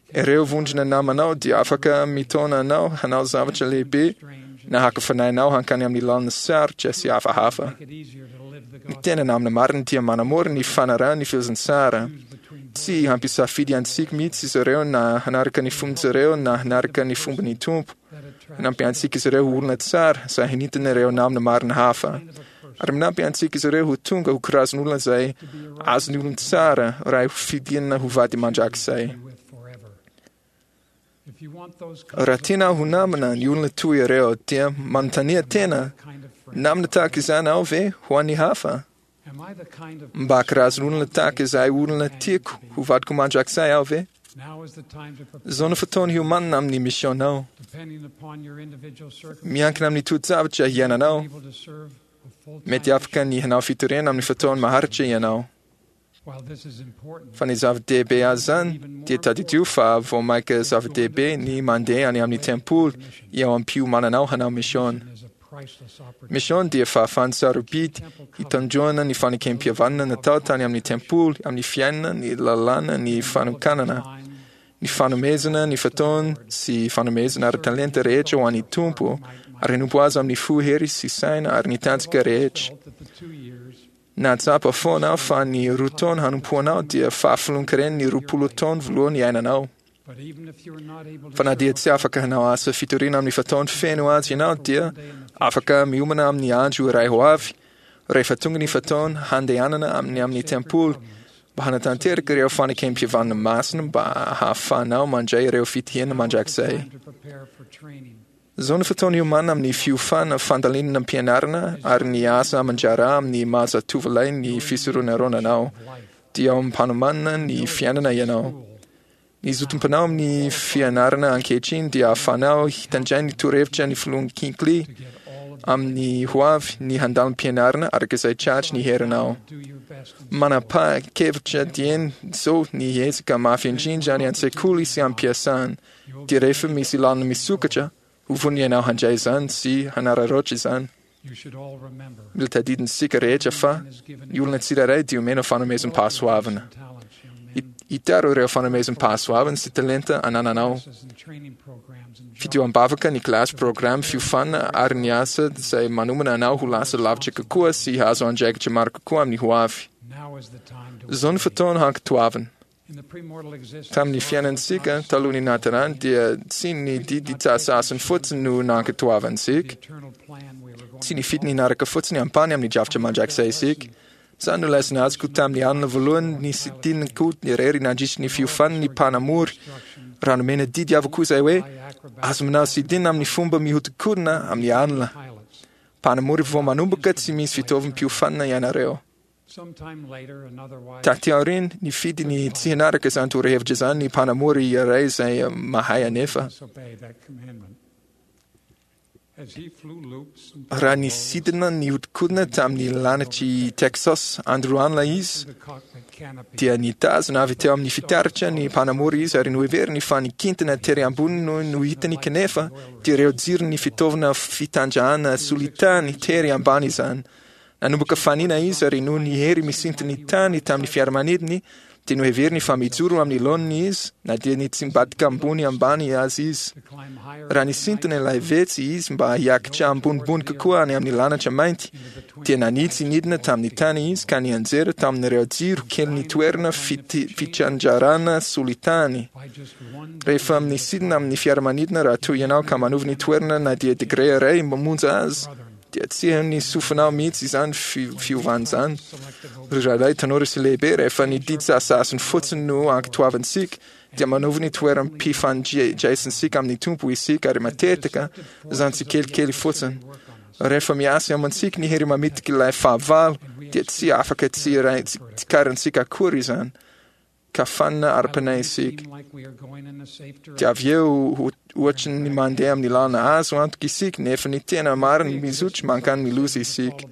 Ireo vondrona namanao dia afaka mitaona anao hanao zavatra lehibe na haka fanahy anao hankany amin'ny lalana sarotra sy hafahafa. Ny tena namana marina dia manamora ny fanarahana ny filazantsara. Tsy hampisafidy antsika mihitsy izy ireo na hanaraka ny fomban'izy ireo na hanaraka ny fomban'ny Tompo. Manampy antsika izy ireo ho olona tsara izay hanintona ireo namana marina hafa. Ary manampy antsika izy ireo ho tonga ho karazan'olona izay azon'ny olon-tsara raha hofidiana ho vady mandrakizay. Raha tianao ho namana ny olona toy ireo, dia manontania tena, namana tahaka izany aho ve ho an'ny hafa? Mba karazan'olona tahaka izay olona tiako ho vadiko mandrakizay aho ve? Izao no fotoana hiomanana amin'ny misionao. Miankina amin'ny toe-javatra hiainanao. Mety afaka ny hanao fitoriana amin'ny fotoana maharitra ianao. Fa ny zava-dehibe azy izany dia tadidio fa vao mainka zava-dehibe ny mandeha any amin'ny tempoly eo am-piomananao hanao mission. Mission dia fahafahana sarobidy hitandroana ny fanekem-pihavanana natao tany amin'ny tempoly, amin'ny fiainana, ny lalàna, ny fanokanana, ny fanomezana, ny fotoana sy fanomezana ary talenta rehetra ho an'ny Tompo, ary hanompo Azy amin'ny fo, hery sy saina ary ny tanjaka rehetra. Nahatsapa foana aho fa ny roa taona hanompoanao dia fahafolon-karen'ny roapolo taona voalohany iainanao. Fa na dia tsy afaka hanao asa fitoriana amin'ny fotoana feno azy ianao dia afaka miomana amin'ny andro iray ho avy, rehefa tonga ny fotoana handehanana amin'ny amin'ny tempoly mba hanatanteraka ireo fanekem-pihavanana masina mba hahafahanao mandray ireo fitahiana mandrakizay. Izao no fotoana hiomanana amin'ny fiofana, fandalinana am-pianarana ary ny asa aman-draharaha amin'ny maha zatovolahy ny fisoronarona anao. Dia ao am-panomanana ny fiainana ianao. Ny zotom-panao amin'ny fianarana ankehitriny dia ahafahanao hitandray ny torohevitra ny filoha Hinckley amin'ny ho avy ny handalim-pianarana araka izay tratry ny herinao. Manapa-kevitra dieny izao ny hiezaka mafy indrindra any an-tsekoly sy am-piasana, dia rehefa misy lalana misokatra, ho vonona ianao handray izany sy hanararaotra izany. Mila tadidintsika rehetra fa ny olona tsirairay dia omena fanomezam-pahasoavana. Hitaro ireo fanomezam-pahasoavana sy talenta anananao. Fidio am-bavaka ny kilasy, programa, fiofanana ary ny asa izay manomana anao ho lasa lavitra kokoa sy hahazo andraikitra maro kokoa amin'ny ho avy. Izao no fotoana hankatoavana. Tamin'ny fiainantsika talohan'ny nahaterahany dia tsy ny didy sasany fotsiny no nankatoavantsika. Tsy nifidy ny hanaraka fotsiny ampahany amin'ny drafitra mandrakizay isika. Izany no lesona azoko tamin'ny alina voalohany nisidinako irery nandritry ny fiofanan'ny mpanamory, raha nomena didy avokoa izay hoe azo manao sidina amin'ny fomba mihodinkodina amin'ny alina. Mpanamory vao manomboka tsy misy fitaovam-piofanana ianareo. Taty aoriana, nifidy ny tsy hanaraka izany torohevitra izany ny mpanamory iray izay mahay anefa. Raha nisidina nihodinkodina tamin'ny lanitr'i Texas andro alina izy, dia nitazona avy teo amin'ny fitaratra ny mpanamory izy ary noheveriny fa ny kintana tery ambony no no hitany kanefa dia ireo jiron'ny fitaovana fitanjahana solitany tery ambany izany. Nanomboka fanina izy ary noho ny hery misinton'ny tany tamin'ny fiaramanidiny dia noheveriny fa mijoro amin'ny laoniny izy na dia nitsimbadika ambony ambany azy izy. Raha nisintona ilay vetsy izy mba hiakatra ambonimbony kokoa any amin'ny lanitra mainty dia nanitsy nidina tamin'ny tany izy ka nianjera tamin'ireo jiro kelin'ny toerana fitrandrahana solitany. Rehefa misidina amin'ny fiaramanidina raha toa ianao ka manova ny toerana na dia degré iray monja aza, dia tsy henon'ny sofinao mihitsy izany fiovana izany. Ry rahalahy tanora sy lehibe, rehefa ny didy sasasiny fotsiny no ankatoavintsika, dia manova ny toeram-pifandraisantsika amin'ny Tompo isika, ary matetika izany tsikelikely fotsiny. Rehefa miasa eo amintsika ny hery mamitika ilay fahavalo, dia tsy afaka tsy tsikarintsika akory izany. Ka fanina ara-panahy isika. Dia avy eo ohatry ny mandeha amin'ny lalana azo antoka isika, nefa ny tena marina mizotra mankany ny loza isika.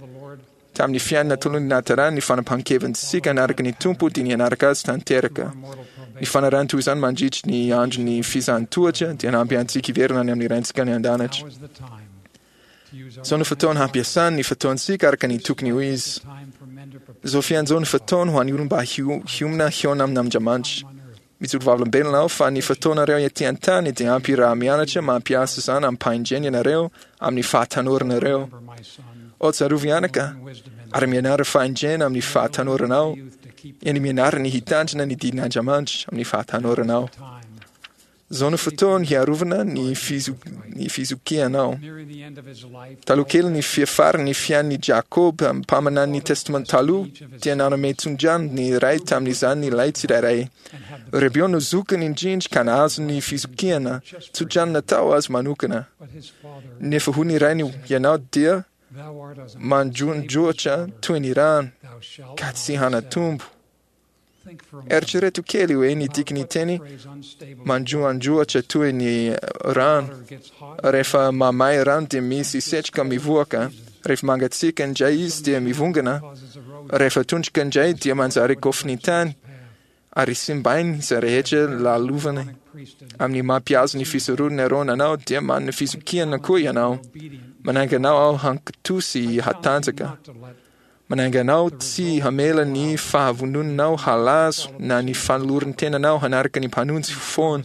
Tamin'ny fiainana tolon'ny nahaterahany ny fanapahan-kevintsika hanaraka ny Tompo dia ny hanaraka Azy tanteraka. Ny fanarahana toy izany mandritry ny andron'ny fizahan-tohatra dia hanampy antsika hiverina any amin'ny Raintsika any an-danitra. Izao no fotoana hampiasana ny fotoantsika araka ny tokony ho izy. Izao fiainana izao no fotoana ho an'ny olona mba hiomana hihaona amin'Andriamanitra. Mijoro vavolombelona aho fa ny fotoanareo ety an-tany dia ampy raha mianatra mampiasa izany amim-pahendrena ianareo amin'ny fahatanoranareo. O tsarovy anaka, ary mianara fahendrena amin'ny fahatanoranao, eny mianara ny hitandrina ny didin'Andriamanitra amin'ny fahatanoranao. Izao no fotoana hiarovana ny ny fizokianao. Taloha kely ny fiafaran'ny fiainan'i Jakoba, mpaminan'ny Testamenta Taloha, dia nanome tso-drano ny ray tamin'izany ilay tsirairay. Rebeo no zokiny indrindra ka nahazo ny fizokiana, tso-drano natao azy manokana. Nefa hoy ny rainy, Ianao dia mandrondroatra toy ny rano, ka tsy hanatombo. Eritrereto kely hoe ny dikan'ny teny mandroandroatra toy ny rano. Rehefa mamay rano dia misy setroka mivoaka. Rehefa mangatsiaka indray izy dia mivongana. Rehefa tondraka indray dia manjary kôfin'ny tany ary simbainy izay rehetra lalovany. Amin'ny mampihazo ny fisoronana Arona anao dia manana fizokiana koa ianao. Manainga anao aho hankatò sy hatanjaka. Manainga anao tsy hamela ny fahavononanao halazo na ny fanoloran-tenanao hanaraka ny Mpamonjy foana.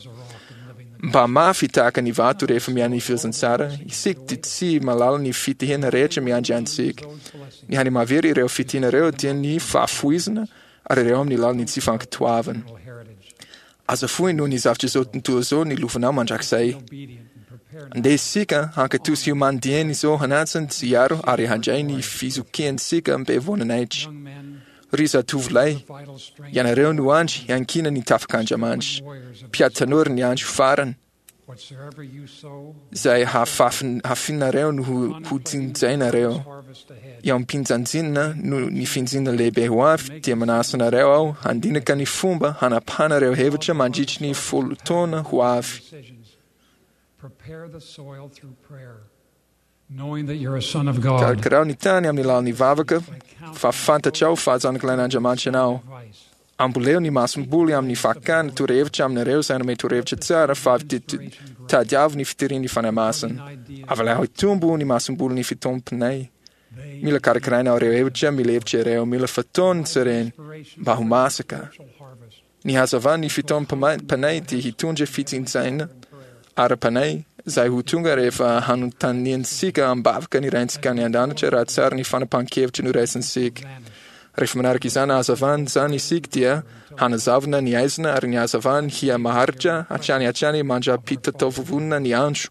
Mba mafy tahaka ny vato rehefa miaina ny filazantsara, isika dia tsy mahalala ny fitahiana rehetra miandry antsika. Ny hany mahavery ireo fitahiana ireo dia ny fahafoizana ary ireo amin'ny alalan'ny tsy fankatoavana. Aza foy noho ny zavatra izao tontolo izao ny lovanao mandrakizay. Andeha isika hankatò sy hiomany dieny izao hanaja sy hiaro ary handray ny fizokiantsika be voninahitra. Ry zatovolahy, ianareo no andry iankinan'ny tafik'Andriamanitra, mpiady tanora ny andro farany, izay hafafin- hafinareo no ho- hojinjainareo. Eo am-pinjanjinana no ny finjina lehibe ho avy dia manasa anareo aho handinika ny fomba hanapahanareo hevitra mandritry ny folo taona ho avy. Prepare the soil through prayer, knowing that you're a son of God. Karakaraho ny tany amin'ny alalan'ny vavaka fa fantatrao fa zanak'lain'Andriamanitra ianao. Amboleo ny masomboly amin'ny fakana torohevitra aminareo izay hanome torohevitra tsara fa avy dia tadiavo ny fitirian'ny Fanahy Masina. Avelao hitombo ny masombolin'ny fitompinay. Mila karakaraina ireo hevitra, mila hevitra ireo, mila fotoana izy ireny mba ho masaka. Ny hazavan'ny fitaomam-panahy dia hitondra fitsinjaina ara-panahy izay ho tonga rehefa hanontaniantsika am-bavaka ny Raintsika any an-danitra raha tsara ny fanapahan-kevitra noraisintsika. Rehefa manaraka izany hazavana izany isika dia hanazavana ny aizina ary ny hazavany hihamaharitra hatrany hatrany mandra-pitataovovonona ny andro.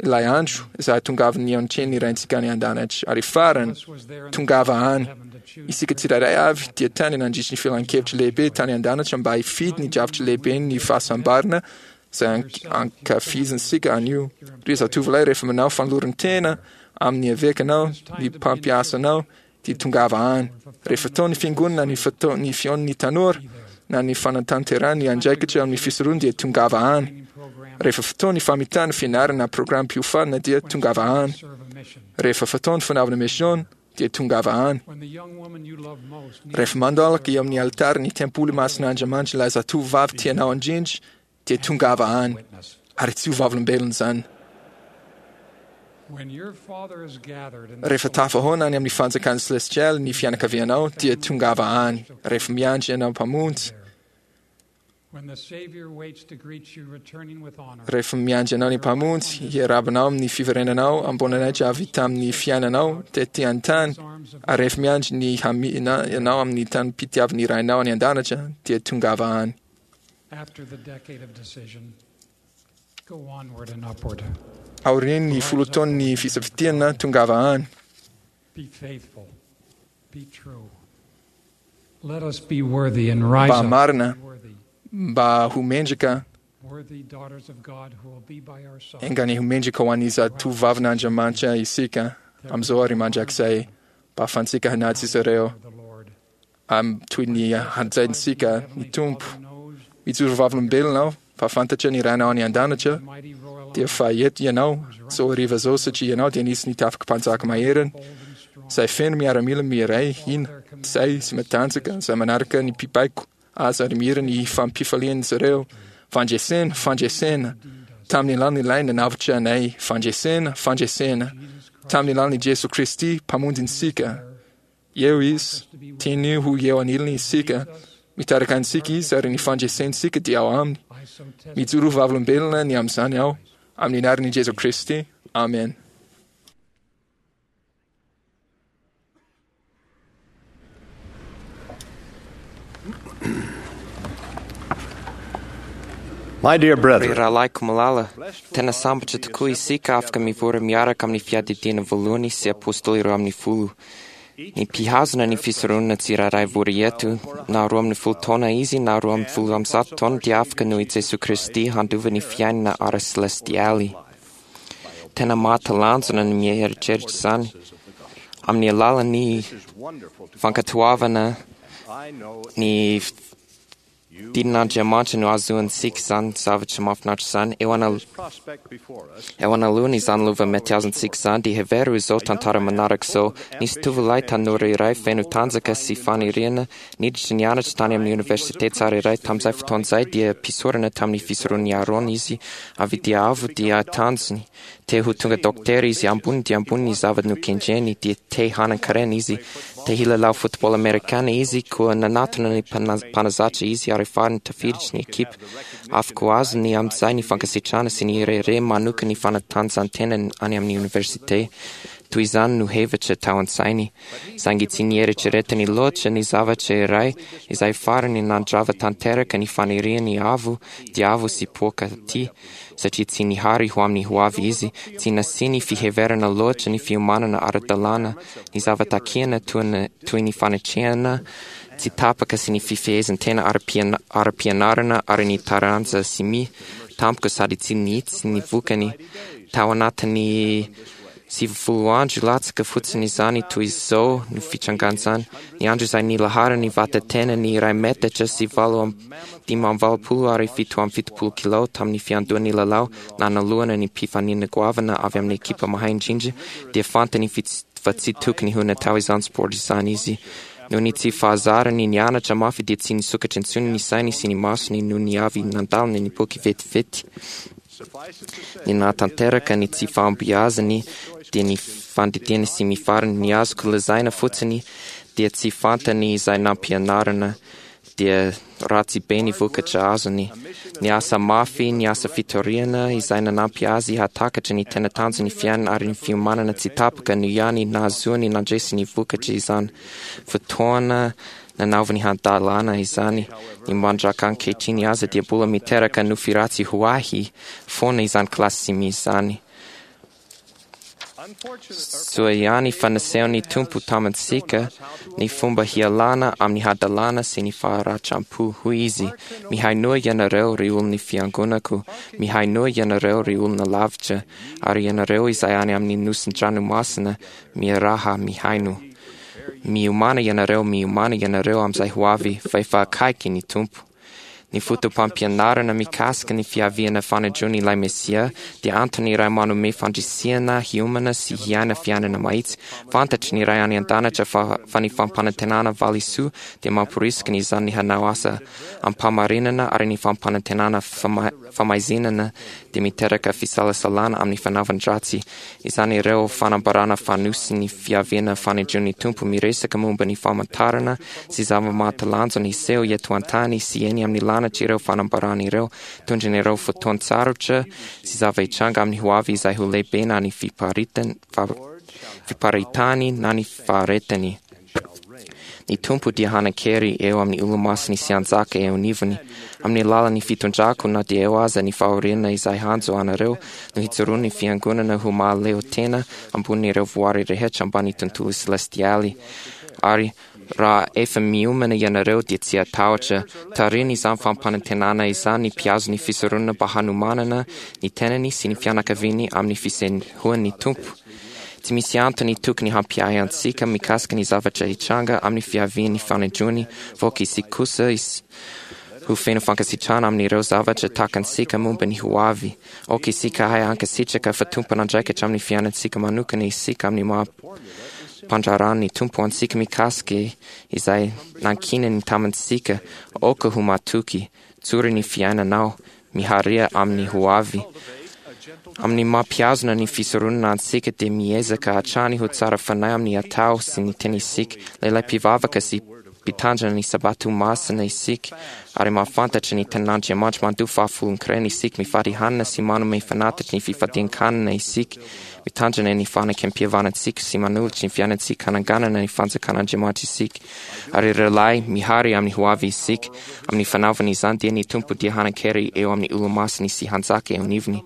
Ilay andro izay hahatongavan'ny anatrehan'ny Raintsika any an-danitra. Ary farany, tongava any. Isika tsirairay avy dia tany nandritry ny filan-kevitra lehibe tany an-danitra mba hifidy ny drafitra lehiben'ny fahasambarana izay ankafizintsika anio. Ry zatovolahy, rehefa manao fanoloran-tena amin'ny evekanao, ny mpampiasa anao, dia tongava any. Rehefa tao ny fiangonana ny fotoa- ny fihaonan'ny tanora na ny fanatanterahana ny andraikitra amin'ny fisoronana dia tongava any. Rehefa fotoa ny famitana fianarana na programam-piofanana dia tongava any. Rehefa fotoa ny fanaovana mission dia tongava any. When the young woman you love most needs Rehefa mandalaka eo amin'ny alitara ny tempoly masin'Andriamanitra ilay zatovovavy tianao indrindra dia tongava any ary tsy ho vavolombelona izany. When your father is gathered in the Rehefa tafahoana any amin'ny fanjakan'ny celestial ny fianakavianao dia tongava any. Rehefa miandry ianao Mpamonjy, When the Savior waits to greet you, returning with honor, rehefa miandry anao ny Mpamonjy, hiarabanao amin'ny fiverenanao amboninahitra avy tamin'ny fiainanao tety an-tany, ary rehefa miandry ny hamihina ianao amin'ny tanim-pitiavan'ny Rainao any an-danitra dia tongava any. after the decade of decision, go onward and upward. Aorian'ny folo taon'ny fisafidianana, tongava any. Be faithful. Be true. Let us be worthy and rise Mba up. marina, Be worthy. mba ho mendrika, Worthy daughters of God who will be by our side. engany ho mendrika ho an'ny zatovavin'Andriamanitra isika amin'izao ary mandrakizay mba ahafahantsika hanaja izy ireo am toy ny hajaintsika ny Tompo. Mijoro vavolombelona aho fa fantatra ny Rainao any an-danitra dia fa eto ianao izao hariva izao satria ianao dia nisy ny tafiky mpanjaka maheriny izay feno miaramila miray hina izay sy matanjaka izay manaraka ny mpibaiko azy ary mihira ny fampifalian'izy ireo. Fandresena, fandresena tamin'ny alalan'ilay nanavotra anay. Fandresena, fandresena tamin'ny alalan'i Jesoa Kristy mpamonjintsika. Eo izy, tiany ho eo anilany isika. Mitarika antsika izy ary ny fandresentsika dia ao aminy. Mijoro vavolombelona ny amin'izany aho amin'ny anaran'i Jesoa Kristy. Amen. My dear Ry brethren, rahalahiko malala, tena sambatra tokoa isika afaka mivory miaraka amin'ny fiadidiana voalohany sy apôstôly roa amin'ny folo. Ny mpihazona ny fisoronana tsirairay vory eto, na roa amin'ny folo taona izy na roa amin'ny folo amby zato taona dia afaka noho i Jesoa Kristy handova ny fiainana ara-celestialy. Tena mahatalanjona ny mieritreritra izany. Amin'ny alalan'ny fankatoavana ny didin'Andriamanitra no ahazoantsika izany zavatra mahafinaritra izany. Eo ana- eo anoloana izany lova mety azontsika izany dia hevero izao tantara manaraka izao. Nisy tovolahy tanora iray feno tanjaka sy faniriana niditra nianatra tany amin'ny oniversite tsara iray. Tamin'izay fotoana izay dia mpisorona tamin'ny fisoron'i Aaron izy. Avy dia avo dia tanjony. Te ho tonga dokotera izy, ambony dia ambony ny zava-nokendreny, dia te hanan-karena izy. Te hilalao football amerikana izy, koa nanatona ny mpana- mpanazatra izy ary farany tafiditra ny ekipa. Afaka ho azony amin'izay ny fankasitrahana sy ny rehareha manokana ny fanatanjahantena any amin'ny oniversite. Toy izany no hevitra tao an-tsainy, saingy tsy nieritreretany loatra ny zavatra iray izay farany nandrava tanteraka ny faniriany avo dia avo sy poakaty, satria tsy nihary ho amin'ny hoavy izy, tsy nasiany fiheverana loatra ny fiomanana ara-dalàna, ny zava-takiana toy ny- toy ny fanatrehana tsy tapaka sy ny fifehezan-tena ara-piana- ara-pianarana ary ny taranja simia tampoka sady tsy nihitsy ny vokany. Tao anatin'ny sivifolo andro latsaka fotsiny izany toy izao no fitrangan'izany. Ny andro izay nilaharany vata-tena ny iray metatra sy valo amby dimy amby valopolo ary fito amby fitopolo kilao tamin'ny fiandohan'ny lalao nanalohana ny mpifaninana goavana avy amin'ny ekipa mahay indrindra dia fantany fits- fa tsy tokony ho natao izany sport izany izy. Noho ny tsy fahazarany nianatra mafy dia tsy nisokatra intsony ny sainy sy ny masony noho ny avy nandalina ny boky vetivety. Ny nahatanteraka ny tsy fahombiazany dia ny fandidiana sy mifarany. Ny azoko lazaina fotsiny dia tsy fantany izay nampianarina dia ratsy be ny vokatra azony. Ny asa mafy, ny asa fitoriana izay nanampy azy hahatakatra ny tena tanjon'ny fiainana ary ny fiomanana tsy tapaka no ihany nahazoany nandresy ny vokatra izany. Fotoana nanaovany hadalana izany. Ny mandraka ankehitriny aza dia mbola miteraka nofy ratsy ho ahy foana izany kilasy simia izany. Soa ihany fa nasehon'ny Tompo tamintsika ny fomba hialana amin'ny hadalana sy ny faharatram-po. Hoy izy, mihainoa ianareo ry olon'ny fiangonako, mihainoa ianareo ry olona lavitra, ary ianareo izay any amin'ny nosin-dranomasina, miaraha mihaino. Miomàna ianareo, miomàna ianareo amin'izay ho avy, fa efa akaiky ny Tompo. Ny foto-pampianarana mikasika ny fiaviana fanadron'ny ilay Mesia dia antony iray manome fandrisihana hiomana sy hiaina fiainana mahitsy. Fantatry ny Ray any an-danitra fa, fa ny fampanantenana valisoa dia mamporisika ny izany hanao asa ampamarinana ary ny fampanantenana fama- famaizinana dia miteraka fisalasalana amin'ny fanaovan-dratsy. Izany ireo fanambarana fanosy ny fiaviana fanadron'ny Tompo miresaka momba ny famantarana sy zava-mahatalanjona hiseho eto an-tany sy eny amin'ny lanitra ireo fanambarana ireo, tondron'ireo fotoan-tsarotra sy zava-hitranga amin'ny hoavy izay ho lehibe na ny fiparitany, fa- fiparitany na ny faharetany. Ny Tompo dia hanan-kery eo amin'ny olomasiny sy hanjaka eo anivony. Amin'ny alalan'ny fitondrako na dia eo aza ny fahoriana izay hanjo anareo no hijoroan'ny fiangonana ho mahaleo tena ambonin'ireo voary rehetra ambany tontolo selestialy. Ary raha efa miomana ianareo dia tsy hatahotra. Tarihiny izany fampanantenana izany ny mpihazo ny fisoronana mba hanomanana ny tenany sy ny fianakaviany amin'ny fisehoan'ny Tompo. Tsy misy antony tokony hampiahy antsika mikasika ny zavatra hitranga amin'ny fiavian'ny fanindroany, voka isika kosa is- ho feno fankasitrahana amin'ireo zavatra takantsika momba ny ho avy. Aoka isika hahay hankasitraka fa tompon'andraikitra amin'ny fiainantsika manokana isika amin'ny maha mpandraharahan'ny Tompo antsika mikasika izay nankinany tamintsika. Aoka ho matoky, tsory ny fiainanao, miharia amin'ny ho avy. Amin'ny mampihazona ny fisoronana antsika dia miezaka hatrany ho tsara fanahy amin'ny atao sy ny teny isika. Lehilahy mpivavaka sy mpitandrina ny sabato masina isika ary mahafantatra ny tenin'Andriamanitra mandoa fahafolon-karena isika, mifady hanina sy manome fanatitra ny fifadian-kanina isika, mitandrina ny fanekempihavanantsika sy manolotra ny fiainantsika hananganana ny fanjakan'Andriamanitra isika. Ary ireo lahy mihary amin'ny ho avy isika. Amin'ny fanaovana izany dia ny Tompo dia hanan-kery eo amin'ny olomasiny sy hanjaka eo anivony.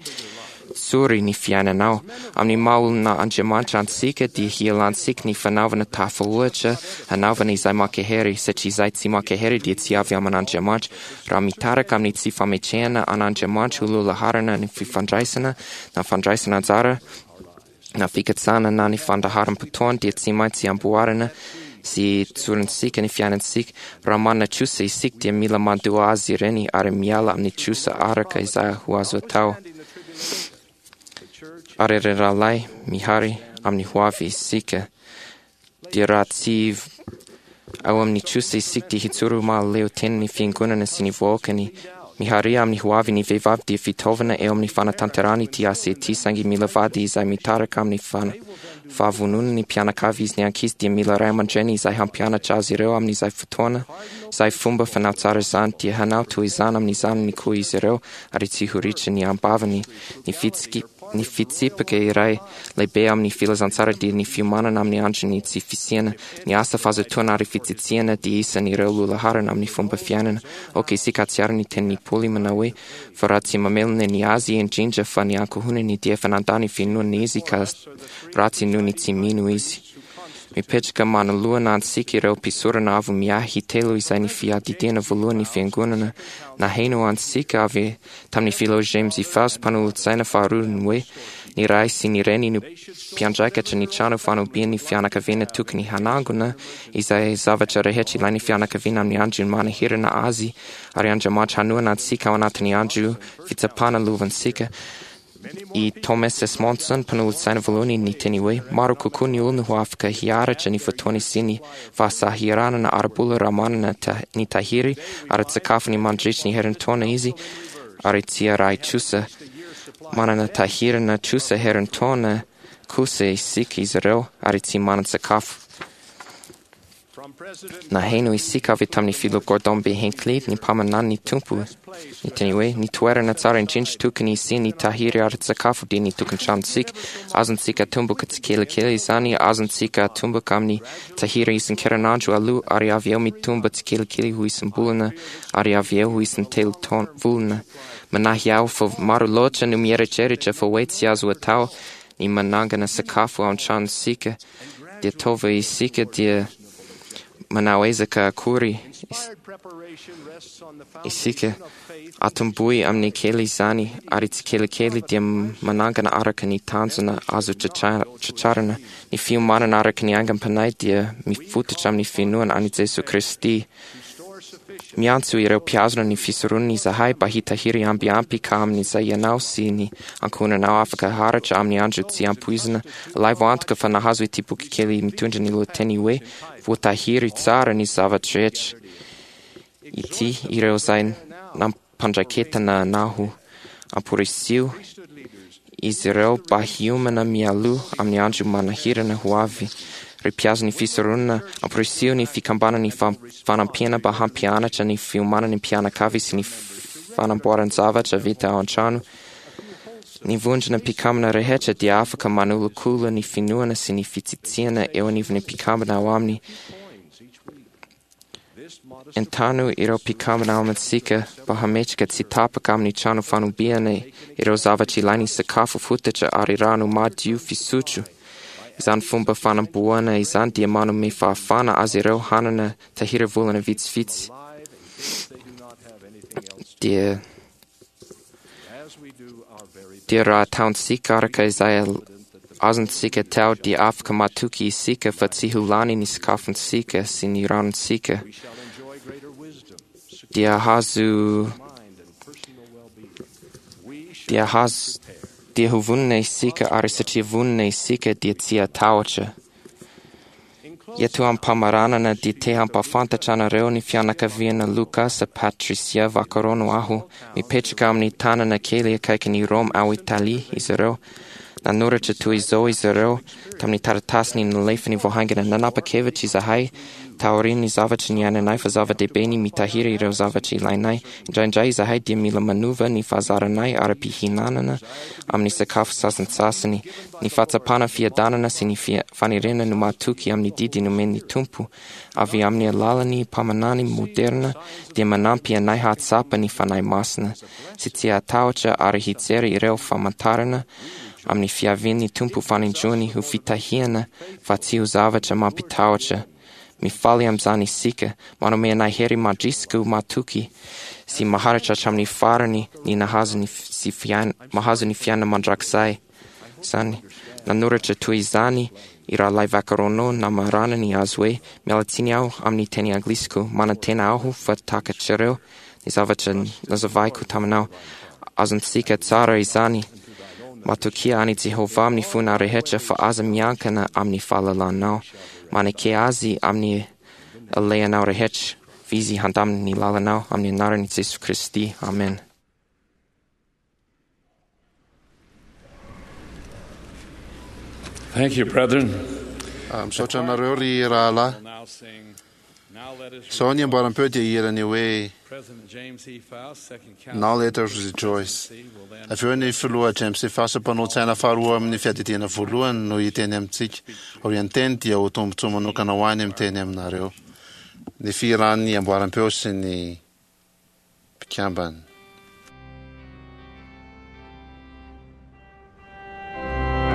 Tsory ny fiainanao. Amin'ny maha olona Andriamanitra antsika dia hialantsika ny fanaovana tafahoatra hanaovana izay mankahery, satria izay tsy mankahery dia tsy avy amin'Andriamanitra. Raha mitarika amin'ny tsy fametrehana an'Andriamanitra ho lohalaharana ny fifandraisana na fandraisana anjara na fikatsahana na ny fandaharam-potoana dia tsy maintsy amboarina sy tsorintsika ny fiainantsika. Raha manana trosa isika dia mila mandoa azy ireny ary miala amin'ny trosa araka izay ho azo atao. Ary ry rahalahy, mihary amin'ny hoavy isika. Dia raha tsy ao amin'ny trosa isika dia hijoro ho mahaleo tena ny fiangonana sy ny vahoakany. Miharia amin'ny hoavy ny vehivavy dia fitaovana eo amin'ny fanatanterahana ity asa ity, saingy mila vady izay mitarika amin'ny fana- fahavononana ny mpianakavy izy. Ny ankizy dia mila ray aman-dreny izay hampianatra azy ireo amin'izay fotoana izay fomba fanao tsara izany, dia hanao toy izany amin'ny zanany koa izy ireo ary tsy ho ritra ny ambavany. Ny fitsiky- ny fitsipika iray lehibe amin'ny filazantsara dia ny fiomanana amin'ny andron'ny tsy fisiana. Ny asa, fahazotoana ary fitsitsiana dia isan'ireo lohalaharana amin'ny fomba fiainana. Aoka isika hahatsiaro ny tenin'i Paoly manao hoe fa raha tsy mamelona ny azy indrindra fa ny ankohonany dia efa nandà ny finoana izy ka ratsy noho ny tsy mino izy. Mipetraka manoloana antsika ireo mpisorona avo miahy telo izay ny fiadidiana voalohany ny fiangonana. Naheno antsika avy tamin'ny filoha James I Faust mpanolotsaina faharoa ny hoe ny ray sy ny reny no mpiandraikitra ny trano fanobian'ny fianakaviana, tokony hanangona izay zavatra rehetra ilain'ny fianakaviana amin'ny andro manahirana azy, ary Andriamanitra hanohana antsika ao anatin'ny andro fitsapana lovantsika. I Thomas S. Monson, mpanolotsaina voalohany, niteny hoe maro kokoa ny olona ho afaka hiaritra ny fotoana sy ny fahasahiranana ara-bola raha manana ta- ny tahiry ara-tsakafony mandritra ny herintaona izy ary tsy arahy trosa. Manana tahirina trosa herintaona kosa isika izy ireo ary tsy manan-tsakafo. Naheno isika avy tamin'ny filoha Gordon B. Hinckley, ny mpaminany ny Tompo, niteny hoe ny toerana tsara indrindra tokony hisian'ny tahiry ara-tsakafo dia ny tokantranontsika. Azontsika atomboka tsikelikely izany, azontsika atomboka amin'ny tahiry isan-kerinandro aloha ary avy eo mitombo tsikelikely ho isam-bolana ary avy eo ho isan-telo taon- volana. Manahy aho fa maro loatra no mieritreritra fa hoe tsy azo atao ny manangana sakafo ao an-tranontsika, dia tova isika dia manao ezaka akory is- isika. Atombohy amin'ny kely izany ary tsikelikely dia manangana araka ny tanjona azo tratra- tratrarina. Ny fiomanana araka ny aingam-panahy dia mifototra amin'ny finoana an'i Jesoa Kristy. Miantso ireo mpihazona ny fisoronana izahay mba hitahiry ambiampy ka amin'izay ianao sy ny ankohonanao afaka haharitra amin'ny andro tsy ampoizina. Alaivo antoka fa nahazo ity boky kely mitondra ny lohateny hoe Voatahiry tsara ny zava-drehetra ity ireo izay nampandraiketana anao. Amporisiho izy ireo mba hiomana mialoha amin'ny andro manahirana ho avy. Ry mpihazo ny fisoronana, amporisiho ny fikambanan'ny fam- fanampiana mba hampianatra ny fiomanan'ny mpianakavy sy ny fanamboaran-javatra vita ao an-trano. Ny vondrona mpikambana rehetra dia afaka manolokolo ny finoana sy ny fitsitsiana eo anivon'ny mpikambana ao aminy. Entano ireo mpikambana ao amintsika mba hametraka tsy tapaka amin'ny trano fanobiana ireo zavatra ilain'ny sakafo fototra ary rano madio fisotro. Izany fomba fanamboana izany dia manome fahafahana azy ireo hanana tahiry volana vitsivitsy. Dia dia raha ataontsika araka izay azontsika atao dia afaka matoky isika fa tsy ho lany ny sakafontsika sy ny ranontsika. Dia hahazo dia hahazo dia ho vonona isika, ary satria vonona isika dia tsy hatahotra. Eto am-pamaranana dia te hampahafantatra anareo ny fianakaviana Lucas Patricia Vaccarono aho. Mipetraka amin'ny tanana kely akaikin'i Rome ao Italia izy ireo. Nanoratra toy izao izy ireo tamin'ny taratasiny nalefany vao haingana: nanapa-kevitra izahay taorian'ny zavatra niainanay fa zava-dehibe ny mitahiry ireo zavatra ilainay. Indraindray izahay dia mila manova ny fahazaranay ara-pihinanana amin'ny sakafo sasantsasany. Ny fahatsapana fiadanana sy ny fia- faniriana no mahatoky amin'ny didy nomen'ny Tompo avy amin'ny alalan'ny mpaminany moderna dia manampy anay hahatsapa ny Fanahy Masina sy tsy hatahotra ary hijery ireo famantarana amin'ny fiavian'ny Tompo fanindroany ho fitahiana fa tsy ho zavatra mampitahotra. Mifaly amin'izany isika, manome anay hery mandrisika ho matoky sy maharitra hatramin'ny farany ny nahazo ny f- sy fiain- mahazo ny fiainana mandrakizay. Izany Nanoratra toy izany i Rahalahy Vaccarono namaranany azy hoe miala tsiny aho amin'ny teny anglisiko, manantena aho fa takatrareo ny zavatra nazavaiko taminao. Azontsika tsara izany. Matokia an'i Jehovah amin'ny fona rehetra fa aza miankina amin'ny fahalalanao. Maneke azy amin'ny alehanao rehetra. Fa izy handamina ny lalanao amin'ny anaran'i Jesoa Kristy. Amen. Thank you, brethren. Ah, misaotra anareo ry rahalahy. Now sing, Now Let Us Izao ny amboaram-peo dia hirany hoe President James E. Faust, Second Council. Now Let Us Rejoice. Avy eo ny filoha James E. Faust mpanolo-tsaina faharoa amin'ny fiadidiana voalohany no hiteny amintsika. Aorian'ny teny dia ho tombontsoa manokana ho any miteny aminareo. Ny fihiran'ny amboaram-peo sy ny mpikambana. Thank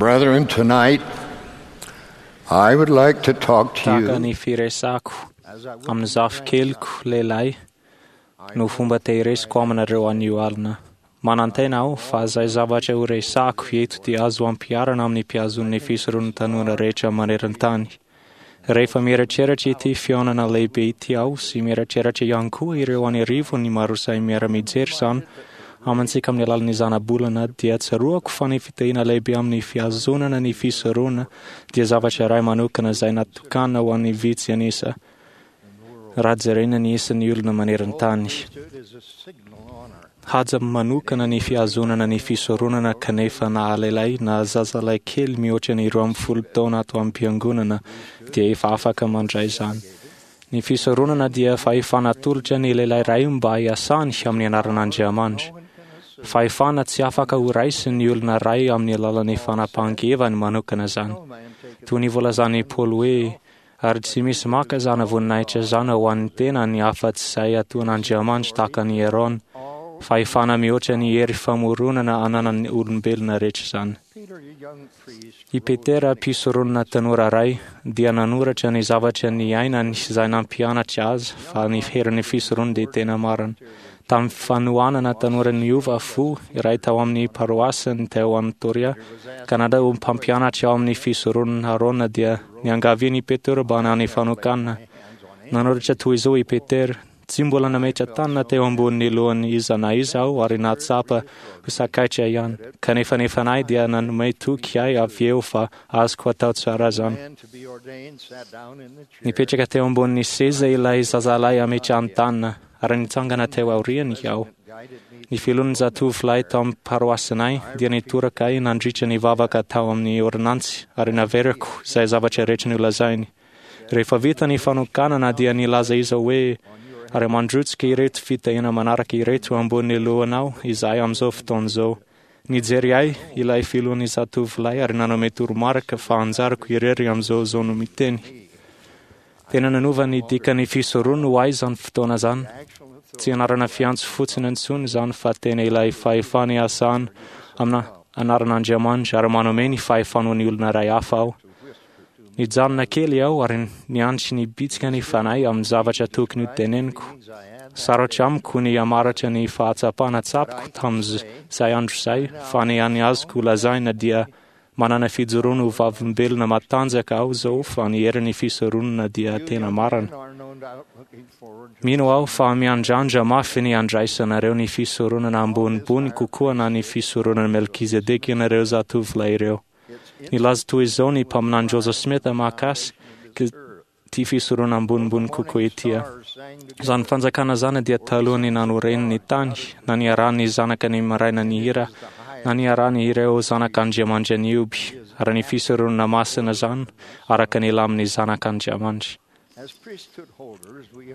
Brethren, tonight I would like to talk to Tahaka you ny firesako amin'ny zafikeliko lehilahy no fomba tehiriziko aminareo anio alina. Manantena aho fa izay zavatra ho resako eto dia azo ampiharina amin'ny mpihazon'ny fisoron'ny tanora rehetra maneran-tany. Rehefa mieritreritra ity fihaonana lehibe ity aho sy mieritreritra ihany koa ireo an'arivony maro izay miara-mijery izany amintsika amin'ny alalan'ny zanabolana dia tsaroako fa ny fitahiana lehibe amin'ny fihazonana ny fisorona dia zavatra iray manokana izay natokana ho an'ny vitsy an'isa raha jerena ny isan'ny olona maneran-tany. Haja manokana ny fihazonana ny fisoronana kanefa na lehilahy na zazalahy kely mihoatra ny roa ambin'ny folo taona ato am-piangonana dia efa afaka mandray izany. Ny fisoronana dia fahefana atolotra ny lehilahy iray mba hiasany amin'ny anaran'Andriamanitra. Fahefana tsy afaka ho raisin'ny olona iray amin'ny alalan'ny fanapahan-keviny manokana izany. Toy ny voalazan'i Paoly hoe ary tsy misy maka izany voninahitra izany ho an'ny tenany afa-tsy izay ataon'Andriamanitra tahaka an'i Aaron. Fahefana mihoatra ny hery famoronana ananan'ny olombelona rehetra izany. I Petera mpisoronana tanora iray dia nanoratra ny zavatra niainany izay nampianatra azy fa ny herin'ny fisorona dia tena marina. Tamin'ny fanohanana tanora niova fo iray tao amin'ny paroasiny teo Antoria, Kanada ho mpampianatra ao amin'ny fisoronana Aarona dia niangavian'i i Petera mba hanao ny fanokanana. Nanoratra toy izao i Petera: Tsy mbola nametra tanana teo ambonin'ny lohan'ny iza na iza aho ary nahatsapa ho sakaitra ihany. Kanefa ny fanahy dia nanome toky ahy avy eo fa azoko atao tsara izany. Nipetraka teo ambonin'ny seza ilay zazalahy ametrahany tanana ary nitsangana teo aoriany aho. Ny filohan'ny zatovolahy tao amin'ny paroasinay dia nitoraka ahy nandritra ny vavaka tao amin'ny ordonnantsy ary naveriko izay zavatra rehetra nolazainy. Rehefa vita ny fanokanana dia nilaza izy hoe ary mandrotsaka ireto fitahiana manaraka ireto ambonin'ny lohanao izahay amin'izao fotoana izao. Nijery ahy ilay filohan'ny zatovolahy ary nanome toromarika fa anjarako irery amin'izao izao no miteny. Tena nanova ny dikan'ny fisorona ho ahy izany fotoana izany. Tsy anarana fiantso fotsiny intsony izany fa tena ilay fahefana iasana amina anaran'Andriamanitra ary manome ny fahefana ho an'ny olona iray hafa aho. Nijanona kely aho ary niantso ny bitsika ny fanahy amin'ny zavatra tokony ho teneniko. Sarotra amiko ny hamaratra ny fahatsapana tsapako tamin'izay andro izay fa ny hany azoko lazaina dia manana fijoroana ho vavolombelona matanjaka aho izao fa ny herin'ny fisoronana dia tena marina. Mino aho fa miandrandra mafy ny handraisanareo ny fisoronana ambonimbony kokoa na ny fisoronana Melkizedeka ianareo zatovolahy ireo. Nilaza toy izao ny mpaminany Joseph Smith mahakasika ity fisoronana ambonimbony kokoa ity. Izany fanjakana izany dia talohan'ny nanoreny ny tany, na niarahan'ny zanaka ny maraina nihira, na niarahany ireo zanak'Andriamanitra nioby, ary ny fisoronana masina izany araka ny lamin'ny zanak'Andriamanitra.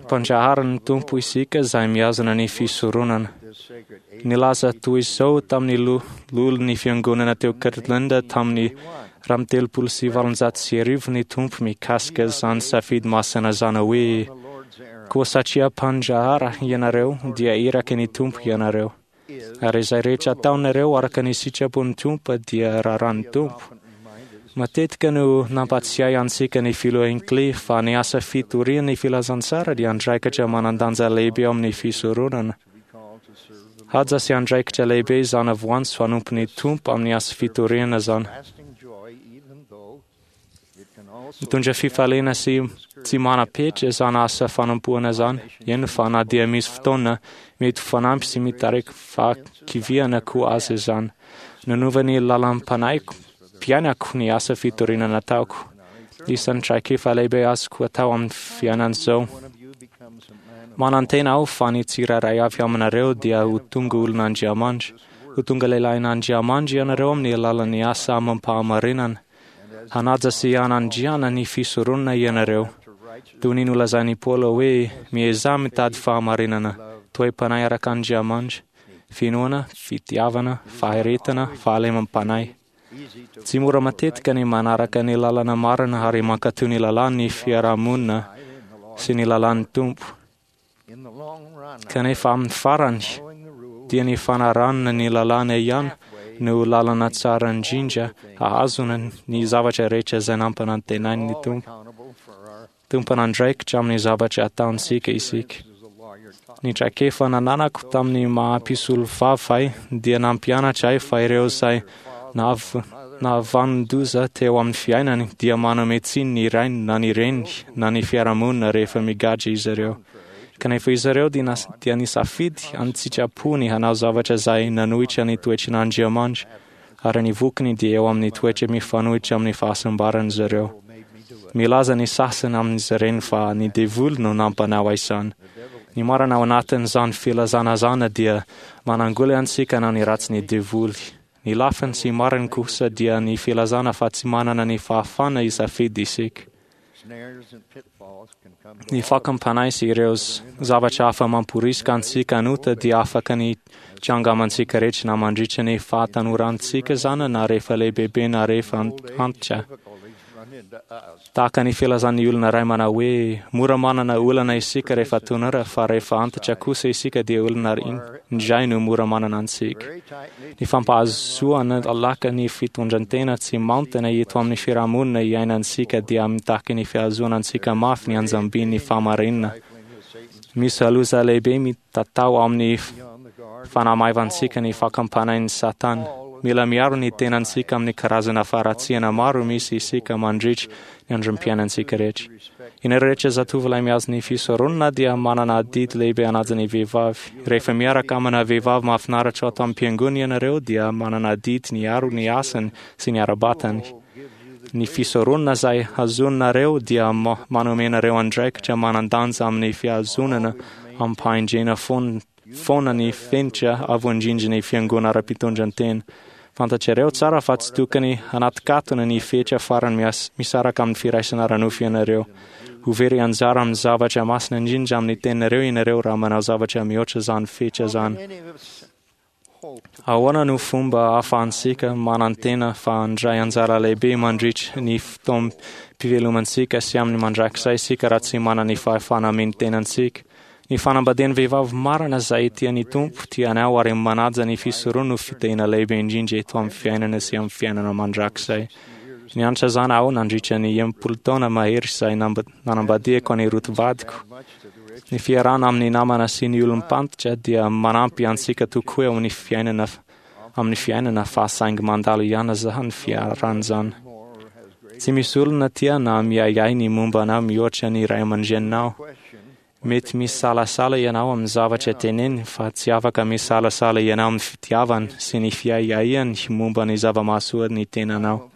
Mpandraharan'ny Tompo isika izay mihazona ny fisoronana. Nilaza toy izao tamin'ny lo- lolon'ny fiangonana teo Kirtland tamin'ny roa amby telopolo sy valonjato sy arivo ny Tompo mikasika izany safidy masina izany hoe koa satria mpandrahara ianareo dia iraka ny Tompo ianareo. Ary izay rehetra ataonareo araka ny sitrapon'ny Tompo dia raharahan'ny Tompo. Matetika no nampatsiahy antsika ny filoha Hinckley fa ny asa fitorian'ny filazantsara dia andraikitra manan-danja lehibe ao amin'ny fisoronana. Haja sy andraikitra lehibe izany voantso hanompo ny Tompo amin'ny asa fitoriana izany. Mitondra fifaliana sy tsy manam-petra izany asa fanompoana izany, eny fa na dia misy fotoana mety ho fanampy sy mitarika fahakiviana koa aza izany. Nanova ny lalam-panahiko mpiainako ny asa fitoriana nataoko. Isan'ny traikefa lehibe azoko atao amin'ny fiainan'izao. Manantena aho fa ny tsirairay avy aminareo dia ho tonga olon'Andriamanitra. Ho tonga lehilahin'Andriamanitra ianareo amin'ny alalan'ny asa amam-pahamarinana. Hanaja sy hanandriana ny fisoronana ianareo. Toy ny nolazain'i Paoly hoe miezaha mitady fahamarinana, toe-panahy araka Andriamanitra, finoana, fitiavana, faharetana, fahalemam-panahy. Tsy mora matetika ny manaraka ny lalana marina ary mankatò ny lalàn'ny fiarahamonina sy ny lalàn'ny Tompo. Kanefa amin'ny farany dia ny fanarahana ny lalàna ihany no lalana tsara indrindra ahazona ny zavatra rehetra izay nampanantenain'ny Tompo. Tompon'andraikitra amin'ny zavatra ataontsika isika. Ny traikefa nananako tamin'ny maha mpisolovava ahy dia nampianatra ahy fa ireo izay nahavanon-doza teo amin'ny fiainany dia manome tsiny ny rainy na ny reniny na ny fiarahamonina rehefa migadra izy ireo. Kanefa izy ireo dia nisafidy an-tsitrapony hanao zavatra izay nanohitra ny toetran'Andriamanitra, ary ny vokany dia eo amin'ny toetra mifanohitra amin'ny fahasambaran'izy ireo. Milaza ny sasany amin'izy ireny fa ny devoly no nampanao izany. Ny marina ao anatin'izany filazana izany dia manangoly antsika na ny ratsy ny devoly. Ny lafiny tsy marina kosa dia ny filazana fa tsy manana ny fahafahana hisafidy isika. Ny fakam-panahy sy ireo zavatra hafa mamporisika antsika hanota dia afaka ny hitranga amintsika rehetra na mandritra ny fahatanorantsika izany na rehefa lehibebe na rehefa antitra. Tahaka ny filazan'ny olona iray manao hoe mora manana olana isika rehefa tanora fa rehefa antitra kosa isika dia olona indray no mora manana antsika. Ny fampahazoana laka ny fitondran-tena tsy maontina eto amin'ny fiarahamonina iainantsika dia mitaky ny fihazoana antsika mafy ny anjambin'ny fahamarinana. Misy loza lehibe mitatao amin'ny fanamaivantsika ny fakam-panahin'i Satana. Mila miaro ny tenantsika amin'ny karazana faharatsiana maro misy isika mandritra ny androm-piainantsika rehetra. Ianareo rehetra zatovolahy mihazo ny fisoronana dia manana adidy lehibe hanaja ny vehivavy. Rehefa miaraka amina vehivavy mahafinaritra ato am-piangonana ianareo dia manana adidy ny hiaro ny asany sy ny ara-batany. Ny fisoronana izay hazoninareo dia manome anareo andraikitra manan-danja amin'ny fihazonana amim-pahendrena foana ny fenitra avo indrindra ny fiangonana ara-pitondran-tena. Fantatrareo tsara fa tsy tokony hanatikatona ny fetra farany misaraka amin'ny firaisana ara-nofo ianareo. Ho very anjara amin'ny zavatra masina indrindra amin'ny teninareo ianareo raha manao zavatra mihoatra izany fetra izany. Ahoana no fomba ahafahantsika manantena fa handray anjara lehibe mandritra ny fotoam-pivelomantsika sy amin'ny mandrakizay isika raha tsy manana ny fahefana amin'ny tenantsika? Ny fanambadian'ny vehivavy marina izay tia ny Tompo, tia anao ary manaja ny fisoronana no fitahiana lehibe indrindra eto amin'ny fiainana sy amin'ny fiainana mandrakizay. Nianatra izany aho nandritra ny enimpolo taona mahery izay nanambadiako an'i Ruth vadiko. Ny fiarahana amin'ny namana sy ny olom-pantatra dia manampy antsika tokoa eo amin'ny fiainana amin'ny fiainana fa saingy mandalo ihany izany fiarahana izany. Tsy misy olona tia na miahiahy ny momba anao mihoatra ny ray aman-dreninao. Mety misalasala ianao amin'ny zavatra teneniny fa tsy afaka misalasala ianao amin'ny fitiavany sy ny fiahiahiany momba ny zava-mahasoa ny tenanao.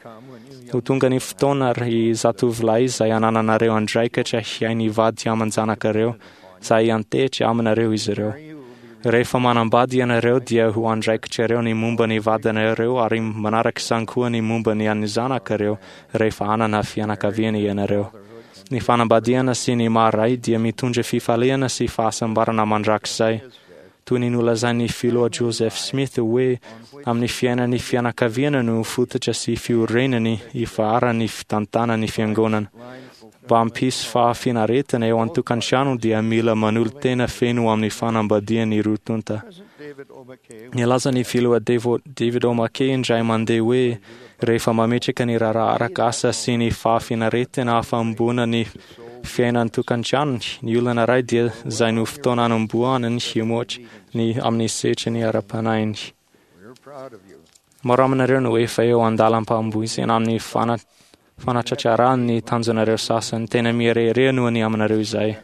Ho tonga ny fotoana ry zatovolahy izay anananareo andraikitra hiahy ny vady aman-janakareo izay hiantehitra aminareo izy ireo. Rehefa manambady ianareo dia ho andraikitrareo ny momba ny vadinareo ary manaraka izany koa ny momba ny an'ny zanakareo rehefa hanana fianakaviana ianareo. Ny fanambadiana sy ny maha ray dia mitondra fifaliana sy fahasambarana mandrakizay. Toy ny nolazain'ny filoha Joseph Smith hoe amin'ny fiainan'ny fianakaviana no fototra sy fiorenany ifaharan'ny fitantanan'ny fiangonana. Mba hampisy fahafinaretana eo an-tokantrano dia mila manolo-tena feno amin'ny fanambadian'ny roa tonta. Nilaza ny filoha David O. McKay indray mandeha hoe rehefa mametraka ny raharaha arak'asa sy ny fahafinaretana hafa-ambona ny fiainan-tokantranony, ny olona iray dia izay no fotoana anombohany himoatra ny amin'ny setriny ara-panahiny. Maro aminareo no efa eo an-dalam-pamboizana amin'ny fanatratrarana ny tanjonareo sasany. Tena mirehareha noho ny aminareo izay.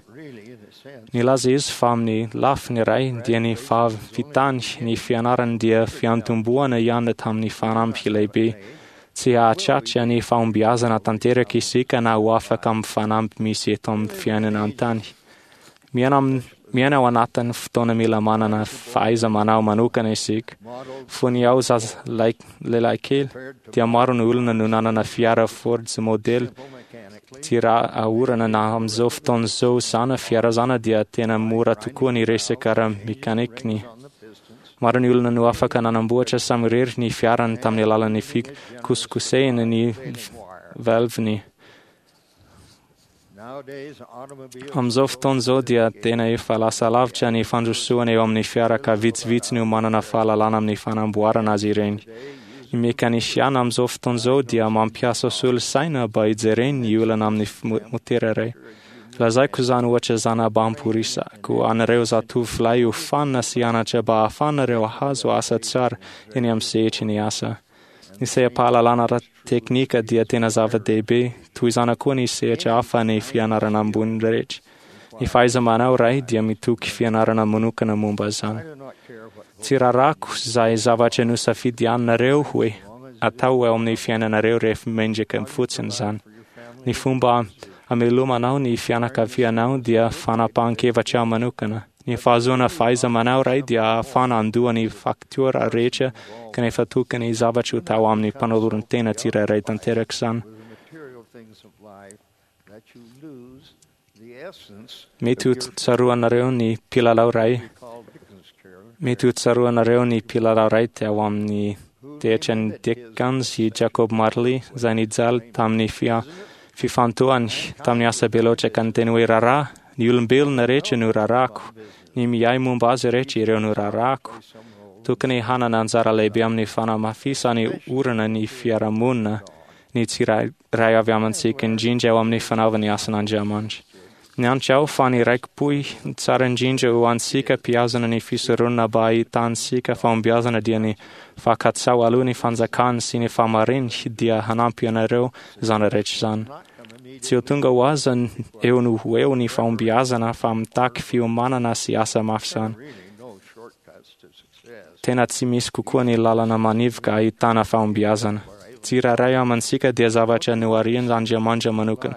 Nilaza izy fa amin'ny lafiny iray dia ny fahavitany ny fianarany dia fiantombohana ihany tamin'ny fanamby lehibe. Tsy hahatratra ny fahombiazana tanteraka isika na ho afaka amin'ny fanamby misy eto amin'ny fiainana an-tany. Miaina miaina ao anatin'ny fotoana mila manana fahaiza-manao manokana isika. Fony aho zaza lehilahy kely dia maro ny olona no nanana fiara Ford modely tsy raha ahorana na amin'izao fotoana izao zana fiara zana dia tena mora tokoa ny resaka ara-mekanikiny. Maro ny olona no afaka nanamboatra samirery ny fiarany tamin'ny alalan'ny fikosokosehana ny valviny. Amin'izao fotoana izao dia tena efa lasa lavitra ny fandrosoana eo amin'ny fiara ka vitsivitsy no manana fahalalana amin'ny fanamboarana azy ireny. Ny mekanisiana amin'izao fotoana izao dia mampiasa solosaina mba hijereny ny olana amin'ny motera iray. Lazaiko izany ohatra izany mba hamporisihako anareo zatovolahy ho fanina sy hianatra mba hahafahanareo hahazo asa tsara eny amin'ny sehatry ny asa. Ny seha-pahalalana ara-teknika dia tena zava-dehibe, toy izany koa ny sehatra hafa ny fianarana ambony rehetra. Ny fahaiza-manao iray dia mitoky fianarana manokana momba izany. Tsy rarako izay zavatra nosafidianareo hoe atao eo amin'ny fiainanareo rehefa mendrika fotsiny izany. Ny fomba hamelomanao ny fianakavianao dia fanapahan-kevitra manokana. Ny fahazoana fahaiza-manao iray dia ahafahana handoa ny faktiora rehetra kanefa tokony zavatra ho tao amin'ny mpanoloran-tena tsirairay tanteraka izany. Mety ho tsaroanareo ny mpilalao iray Mety ho tsaroanareo ny mpilalao iray teo amin'ny teatran'ny Dickens i Jacob Marley izay nijaly tamin'ny fia- fifantohany tamin'ny asa be loatra ka niteny hoe raharaha ny olombelona rehetra no raharahako, ny miahy momba azy rehetra ireo no raharahako. Tokony hanana anjara lehibe amin'ny fanamafisana orina ny fiarahamonina ny tsirairay avy amintsika indrindra eo amin'ny fanaovana ny asan'Andriamanitra. Nianatra aho fa ny raiki-pohy tsara indrindra ho antsika mpihazona ny fisoronana mba hahitantsika fahombiazana dia ny fankatsaho aloha ny fanjakany sy ny fahamarinany dia hanampy anareo izany rehetra izany. Tsy ho tonga ho azy eo no ho eo ny fahombiazana fa mitaky fiomanana sy asa mafy izany. Tena tsy misy kokoa ny lalana manivoka ahitana fahombiazana. Tsirairay amintsika dia zavatra noharian'Andriamanitra manokana.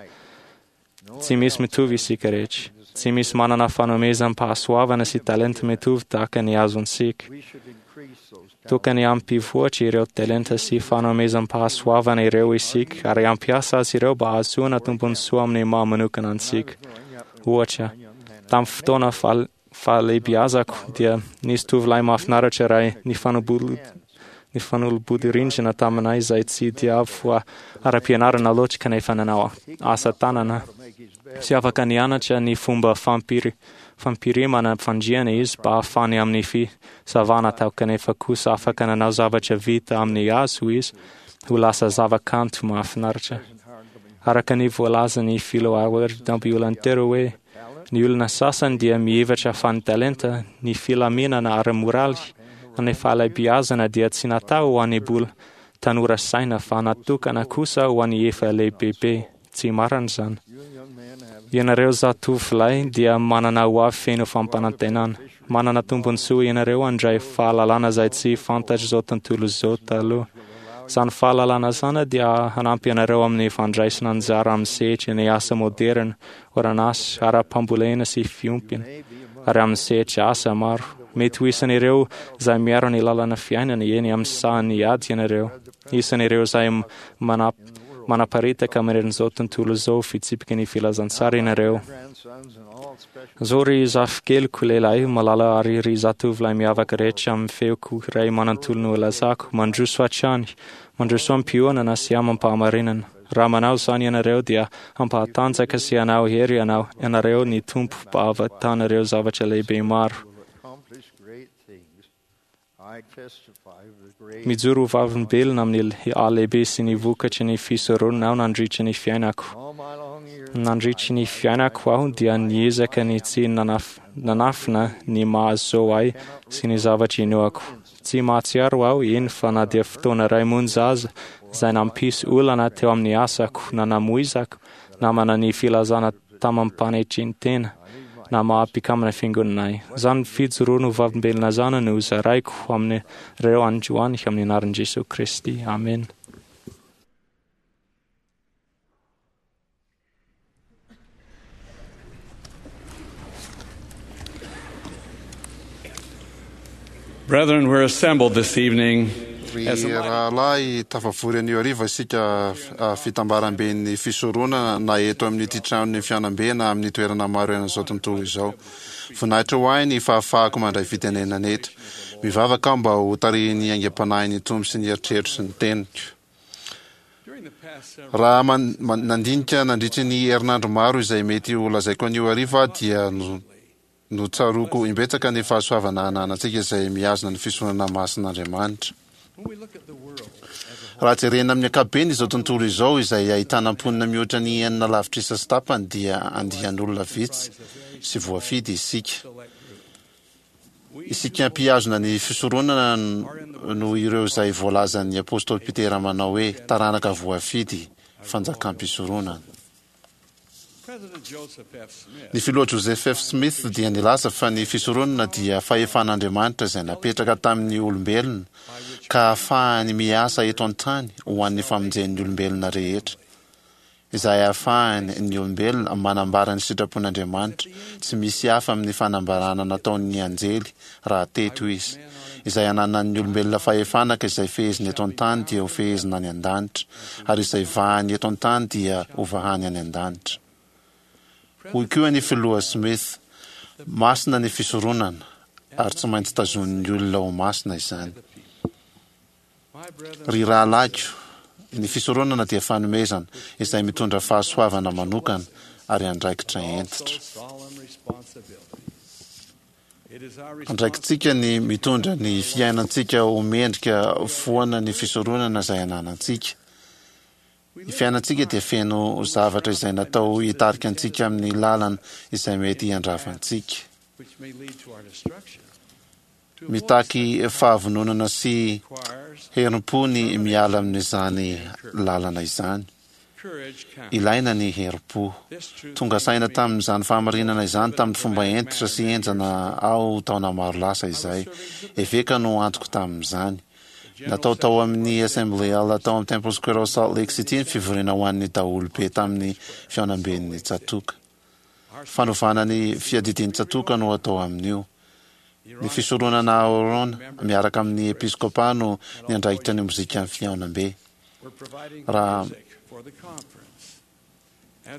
Tsy misy mitovy isika rehetra. Tsy misy manana fanomezam-pahasoavana sy talenta mitovy tahaka ny azontsika. Tokony hampivoatra ireo talenta sy fanomezam-pahasoavana ireo isika ary hampiasa azy ireo mba hahazoana tombontsoa amin'ny maha manokana antsika. Ohatra, tamin'ny fotoana fahal- fahalehibiazako dia nisy tovolahy mahafinaritra iray nifanobolo nifanolobodirindrina taminay izay tsy dia avo ara-pianarana loatra kanefa nanao asa tanana. Tsy afaka nianatra ny fomba fampiri- fampirimana fandriana izy mba hahafahany amin'ny fisavana atao kanefa kosa afaka nanao zavatra vita amin'ny hazo izy ho lasa zavakanto mahafinaritra. Araka ny voalazan'ny Filoha Howard W. hoe ny olona sasany dia mihevitra fa ny talenta, ny filaminana ara-moraly, ny fahalehibiazana dia tsy natao ho an'ny mbola tanora saina fa natokana kosa ho an'ny efa lehibebe. Tsy marina izany. Ianareo zatovolahy dia manana hoavy feno fampanantenana. Manana tombontsoa ianareo handray fahalalana izay tsy fantatr'izao tontolo izao taloha. Izany fahalalana izany dia hanampy anareo amin'ny fandraisana anjara amin'ny sehatry ny asa moderina, orinasa, ara-pambolena sy fiompiana, ary amin'ny sehatra asa maro. Mety ho isan'ireo izay miaro ny lalana fiainana eny amin'ny sahan'ny ady ianareo. Isan'ireo izay manap- manaparitaka maneran'izao tontolo izao fitsipiky ny filazantsara ianareo. Zao ry zafikeliko lehilahy malala ary ry zatovolahy miavaka rehetra amin'ny feoko iray manontolo no lazako, mandroso hatrany, mandroso am-piononana sy amam-pahamarinana. Raha manao izany ianareo dia hampahatanjaka sy hanao hery ianao ianareo ny Tompo mba hahavitanareo zavatra lehibe maro. Mijoro ho vavolombelona amin'ny halehibe sy ny vokatry ny fisoronana aho nandritra ny fiainako. Nandritra ny fiainako aho dia niezaka ny tsy nanaf- nanafina ny maha-zo ahy sy ny zavatra inoako. Tsy mahatsiaro aho eny fa na dia fotoana iray monja aza izay nampisy olana teo amin'ny asako na namoizako namana ny filazana tamam-panetren-tena na maha-mpikambana fiangonana ahy. Izany fijoroana ho vavolombelona izany no zaraiko aminareo androany amin'ny anaran'i Jesoa Kristy. Amen. Brethren, we're assembled this evening Ry as a rahalahy tafavory anio hariva isika ah, fitambaramben'ny fisoronana na eto amin'ity tranon'ny fihaonambe na amin'ny toerana maro eran'izao tontolo izao. Voninahitra ho ahy ny fahafahako mandray fitenenana eto. Mivavaka aho mba ho tarihin'ny aingam-panahin'ny Tompo sy ny eritreritro sy ny teniko. Raha man- man- nandinika nandritry ny herinandro maro izay mety ho lazaiko anio hariva aho dia no notsaroako imbetsaka ny fahasoavana ananantsika izay mihazona ny fisoronana masin'Andriamanitra. Raha jerena amin'ny ankapobeny izao tontolo izao izay ahitana mponina mihoatra ny enina lavitrisa sy tapany dia andian'olona vitsy sy voafidy isika. Isika mpihazona ny fisoronana no ireo izay voalazan'ny apôstôly Petera manao hoe taranaka voafidy fanjakam-pisoronana. Ny filoha Joseph F. Smith dia nilaza fa ny fisoronana dia fahefan'Andriamanitra izay napetraka tamin'ny olombelona ka ahafahany miasa eto an-tany ho an'ny famonjen'ny olombelona rehetra, izay ahafahany ny olombelona manambara ny sitrapon'Andriamanitra tsy misy hafa amin'ny fanambarana nataon'ny anjely raha teto izy. Izay ananan'ny olombelona fahefana ka izay feheziny eto an-tany dia ho fehezina any an-danitra, ary izay vahany eto an-tany dia ho vahany any an-danitra. Hoy koa ny filoha Smith, masina ny fisoronana ary tsy maintsy tazonin'ny olona ho masina izany. Ry rahalahiko, ny fisoronana dia fanomezana izay mitondra fahasoavana manokana ary andraikitra hentitra. Andraikitsika ny mitondra ny fiainantsika ho mendrika foana ny fisoronana izay ananantsika. Ny fiainantsika dia feno zavatra izay natao hitarika antsika amin'ny lalana izay mety handrava antsika. Mitaky fahavononana sy herim-po ny miala amin'izany lalana izany. Ilaina ny herim-po. Tonga saina tamin'izany fahamarinana izany tamin'ny fomba hentitra sy henjana aho taona maro lasa izay. Eveka no antoko tamin'izany. Natao tao amin'ny Assembly Hall tao amin'ny Temple Square ao Salt Lake City ny fivoriana ho an'ny daholobe tamin'ny fihaonamben'ny tsatòka. Fanovana ny fiadidian'ny tsatòka no atao amin'io. Ny fisoronana Aharôna miaraka amin'ny episkôpa no niandraikitra ny mozikan'ny fihaonambe. Raha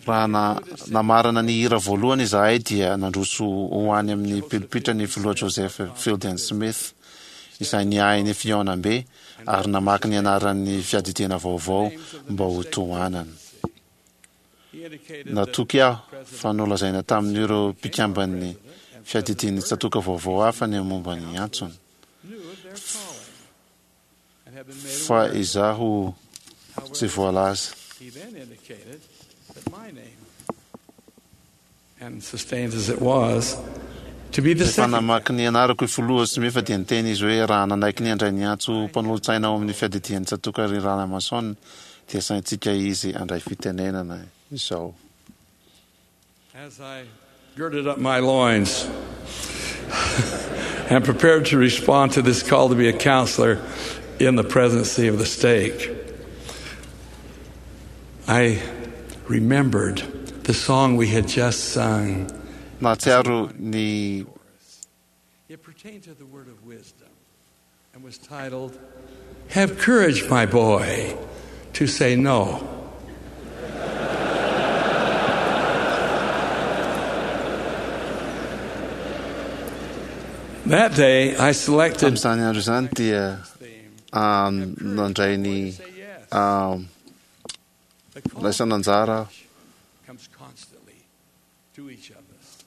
raha na namarana ny hira voalohany izahay dia nandroso ho any amin'ny pilipitra ny filoha Joseph Fielding Smith izay niahy ny fihaonambe ary namaky ny anaran'ny fiadidiana vaovao mba ho tohanana. Natoky aho fa nolazaina tamin'ireo mpikamban'ny fiadidian'ny tsatòka vaovao hafa ny momba ny antsony. Fa izaho tsy voalaza. He then indicated that my name, and sustained as it was, to be the Rehefa second. namaky ny anarako i filoha Smith dia niteny izy hoe raha nanaiky ny handray ny antso mpanolotsaina ao amin'ny fiadidian'ny tsatòka ry Rahalahy Monson dia saintsika izy handray fitenenana izao. As I girded up my loins and prepared to respond to this call to be a counselor in the presidency of the stake, I remembered the song we had just sung. Nahatsiaro ny It pertained to the word of wisdom and was titled, Have Courage, My Boy, to Say No. That day, I selected Tamin'izany andro izany dia ah, nandray ny ah, laisan'anjara aho. comes constantly to each of us.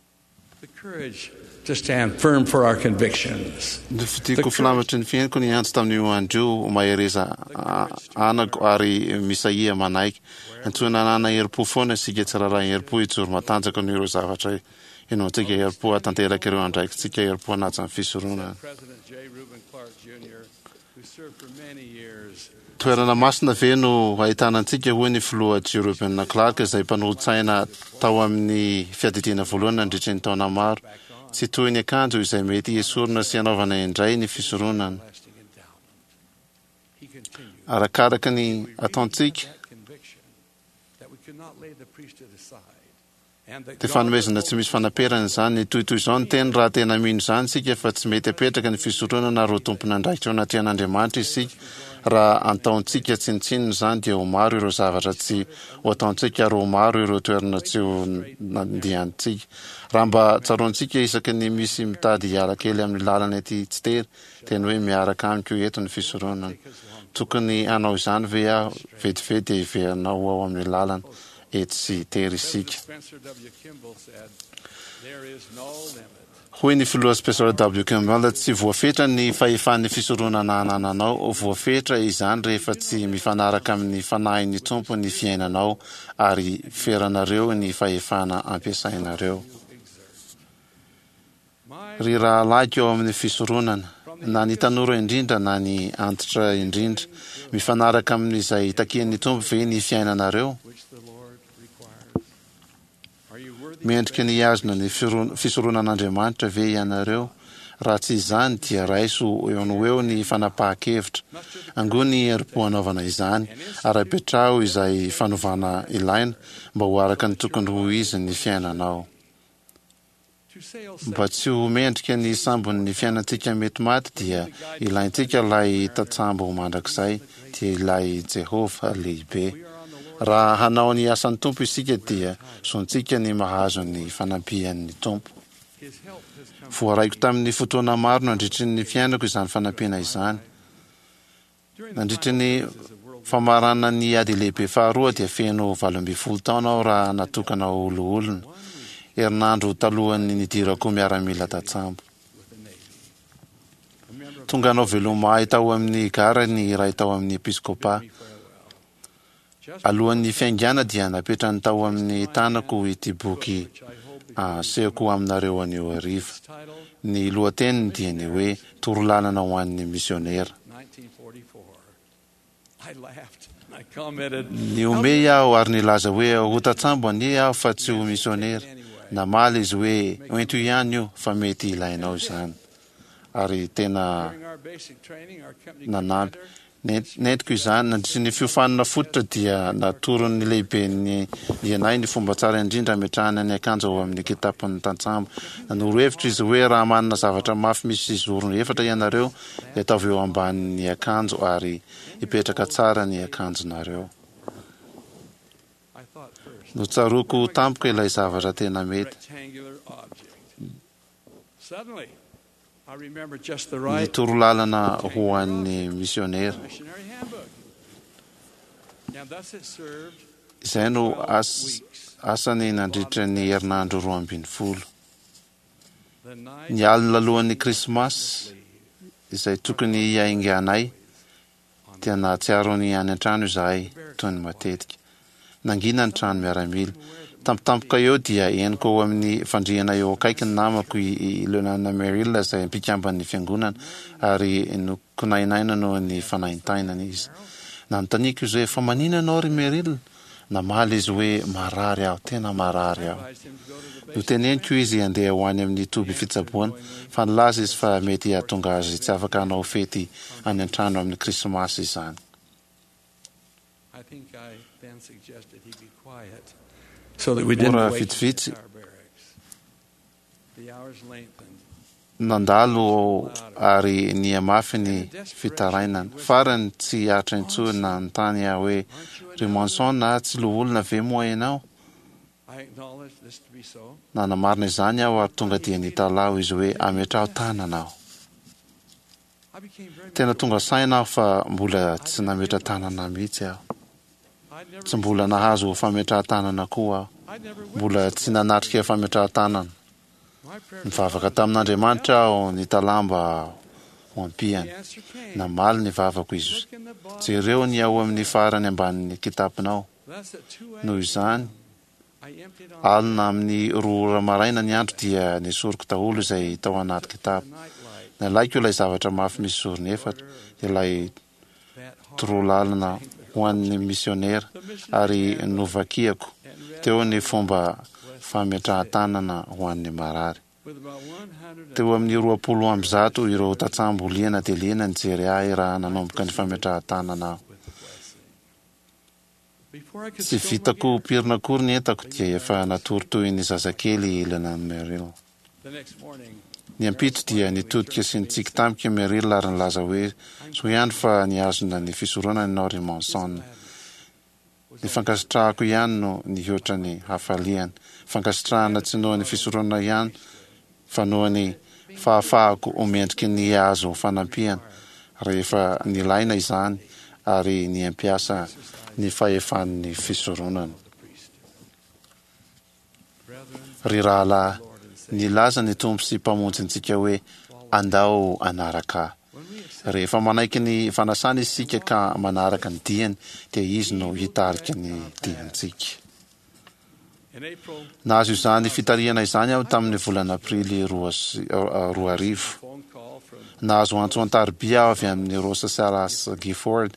The courage to stand firm for our convictions. Nofidiko filamatry ny fiainako ny antso tamin'io andro io mahereza a- anako ary misahia manaiky. Antsoina hanana herim-po foana isika tsirairay, herim-po hijoro matanjaka noho ireo zavatra inoantsika, herim-po hahatanteraka ireo andraikitsika, herim-po hanaja ny fisoronana. President J. Reuben Clark Junior, who served for many years Toerana masina ve no ahitana antsika, hoy ny filoha J. Reuben Clark izay mpanolotsaina tao amin'ny fiadidiana voalohany nandritry ny taona maro. Tsy toy ny akanjo izay mety esorina sy anaovana indray ny fisoronana. Arakaraka ny ataontsika conviction that we could not lay the priesthood aside and that dia God fanomezana tsy misy fanaperana izany. Toy izao ny teny raha tena mino izany isika fa tsy mety apetraka ny fisoronana ary ho tompon'andraikitra eo anatrehan'Andriamanitra isika. Raha ataontsika tsinontsinona izany dia ho maro ireo zavatra tsy ho ataontsika ary ho maro ireo toerana tsy ho nandehantsika. Raha mba tsaroantsika isaky ny misy mitady hiala kely amin'ny lalana ety tsy tery, teny hoe miaraka amiko eto ny fisoronana. Tokony hanao izany ve aho? Vetivety dia hiverina ho ao amin'ny lalana ety sy tery isika. Hoy ny filoha Spencer W. Kimball, Tsy voafetra ny fahefan'ny fisoronana anananao. Voafetra izany rehefa tsy mifanaraka amin'ny fanahin'ny Tompo ny fiainanao ary feranareo ny fahefana ampiasainareo. Ry rahalahiko ao amin'ny fisoronana, na ny tanora indrindra na ny antitra indrindra, mifanaraka amin'izay takian'ny Tompo ve ny fiainanareo? Mendrika ny hihazona ny fisoronan'Andriamanitra ve ianareo? Raha tsy izany, dia raiso eo no ho eo ny fanapahan-kevitra. Angony ny herim-po hanaovana izany, ary apetraho izay fanovana ilaina mba ho araka ny tokony ho izy ny fiainanao. Mba tsy ho mendrika ny sambon'ny fiainantsika mety maty, dia ilaintsika ilay tantsambo mandrakizay, dia ilay Jehovah lehibe. Raha hanao ny asan'ny Tompo isika, dia zontsika ny mahazo ny fanampian'ny Tompo. Voaraiko tamin'ny fotoana maro nandritry ny fiainako izany fanampiana izany. Nandritry ny famaranan'ny Ady Lehibe Faharoa dia feno valo ambin'ny folo taona aho raha natokana ho loholona, herinandro talohan'ny nidirako miaramila tantsambo. Tonga hanao veloma ahy tao amin'ny gara ny iray tao amin'ny episkopa. Alohan'ny fiaingàna dia napetrany tao amin'ny tanako ity boky asehoko aminareo anio hariva. Ny lohateniny dia ny hoe Torolalana ho an'ny misionera. Nihomehy aho ary nilaza hoe ho tantsambo anie aho fa tsy ho misionera. Namaly izy hoe ento ihany io fa mety ilainao izany. Ary tena nanampy. Nentiko izany. Nandritry ny fiofanana fototra dia natoron'ny lehiben'ny anay ny fomba tsara indrindra hametrahana ny akanjo ao amin'ny kitapon'ny tantsambo. Nanoro hevitra izy hoe raha manana zavatra mafy misy zorony efatra ianareo dia ataovy eo ambanin'ny akanjo ary hipetraka tsara ny akanjonareo. Notsaroako tampoka ilay zavatra tena mety. Ny torolalana ho an'ny misionera. Izay no asany nandritra ny herinandro roa ambin'ny folo. Ny alina alohan'ny Krismasy, izay tokony hiainganay, dia nahatsiaro ny any an-trano izahay, toy ny matetika. Nangina ny trano miaramila. Tampotampoka eo dia henoko ao amin'ny fandriana eo akaiky ny namako i Leonana Merrill izay mpikamban'ny Fiangonana, ary nokonainaina noho ny fanaintainana izy. Nanontaniako izy hoe, Fa maninona ianao ry Merrill? Namaly izy hoe, Marary aho, tena marary aho. Noteneniko izy handeha ho any amin'ny toby fitsaboana, fa nilaza izy fa mety hahatonga azy tsy afaka hanao fety any an-trano amin'ny Krismasy izany. Ora vitsivitsy nandalo ary nihamafy ny fitarainana. Farany tsy aritra intsony nanontany aho hoe, Ry Monson a, tsy loholona ve moa ianao? Nanamarina izany aho ary tonga dia nitalaho izy hoe, Ametraho tanana aho. Tena tonga saina aho fa mbola tsy nametra-tanana mihitsy aho. Tsy mbola nahazo fametrahan-tanana koa aho. Mbola tsy nanatrika fametrahan-tanana. Nivavaka tamin'Andriamanitra aho nitalaho mba ho ampiany. Namaly ny vavako Izy. Jereo ny ao amin'ny farany ambanin'ny kitaponao. Noho izany, alina amin'ny roa ora maraina ny andro dia nesoriko daholo izay tao anaty kitapo. Nalaiko ilay zavatra mafy misy zorony efatra, ilay torolalana ho an'ny misionera, ary novakiako teo ny fomba fametrahan-tanana ho an'ny marary. Teo amin'ny roapolo amby zato ireo tantsambo liana dia liana nijery ahy raha nanomboka ny fametrahan-tanana aho. Tsy vitako pirina akory ny entako dia efa natory toy ny zazakely i Lenan Merrill. Ny ampitso dia nitodika sy nitsiky tamiko i Merrill ary nilaza hoe, Soa ihany fa nihazona ny fisoronana ianao ry Monson. Ny fankasitrahako ihany no nihoatra ny hafaliany. Fankasitrahana tsy noho ny fisoronana ihany fa noho ny fahafahako ho mendriky ny hahazo fanampiana rehefa nilaina izany ary ny hampiasa ny fahefan'ny fisoronana. Ry rahalahy, nilaza ny Tompo sy Mpamonjy antsika hoe, Andao hanaraka Ahy. Rehefa manaiky ny fanasany isika ka manaraka ny diany, dia Izy no hitarika ny diantsika. Nahazo izany fitarihana izany aho tamin'ny volana Aprily roa sy roa arivo. Nahazo antso an-tariby aho avy amin'i Rosa Salas Gifford,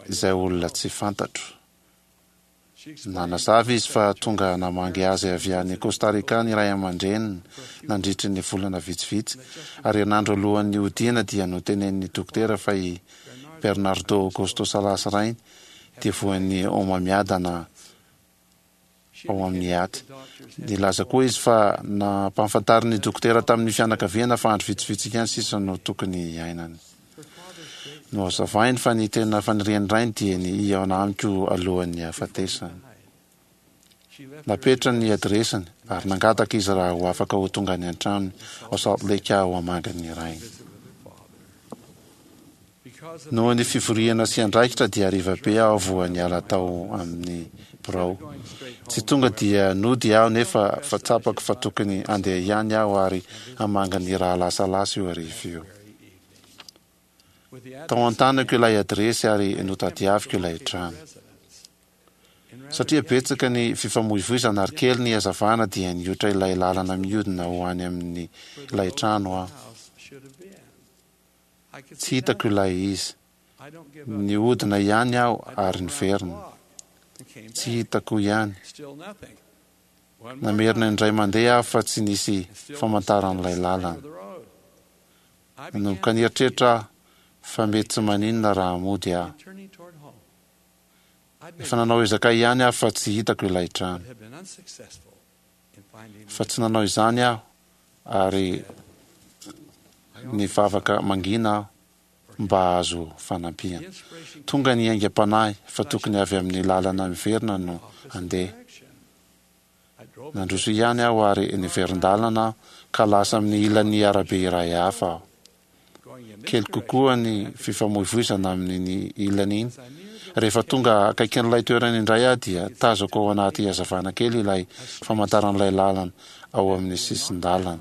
izay olona tsy fantatro. Nanazava izy fa tonga namangy azy avy any Costa Rica ny ray aman-dreniny nandritry ny volana vitsivitsy, ary herinandro alohan'ny hodiana dia notenenin'ny dokotera fa i Bernardo Augusto Salas rainy dia voan'ny homamiadana ao amin'ny aty. Nilaza koa izy fa nampahafantarin'ny dokotera tamin'ny fianakaviana fa andro vitsivitsy ihany sisa no tokony hiainany. Nohazavainy fa ny tena fanirian'ny rainy dia ny hihaona amiko alohan'ny hahafatesany. Napetrany ny adiresiny ary nangataka izy raha ho afaka ho tonga any an-tranony ao Salt Lake aho hamangy ny rainy. Noho ny fivoriana sy andraikitra dia hariva be aho voa niala tao amin'ny birao. Tsy tonga dia nody aho nefa fa tsapako fa tokony handeha ihany aho ary hamangy ny rahalahy Salasy io hariva io. Tao an-tanako ilay adiresy ary notadiaviko ilay trano. Satria betsaka ny fifamoivoizana ary kely ny hazavana dia nihoitra ilay lalana mihodina ho any amin'ny ilay trano aho. Tsy hitako ilay izy. Nihodina ihany aho ary niverina. Tsy hitako ihany. Namerina indray mandeha aho fa tsy nisy famantaran'ilay lalana. Nanomboka nieritreritra aho fa mety tsy maninona raha mody aho. Efa nanao ezaka ihany aho fa tsy hitako ilay trano. Fa tsy nanao izany aho ary nivavaka mangina aho mba hahazo fanampiana. Tonga ny aingam-panahy fa tokony avy amin'ny lalana miverina no handeha. Nandroso ihany aho ary niverin-dalana aho ka lasa amin'ny ilan'ny arabe iray hafa aho. Kely kokoa ny fifamoivoizana amin'iny ilany iny. Rehefa tonga akaikin'ilay toerana indray aho dia tazako ao anaty hazavana kely ilay famantaran'ilay lalana ao amin'ny sisin-dalana.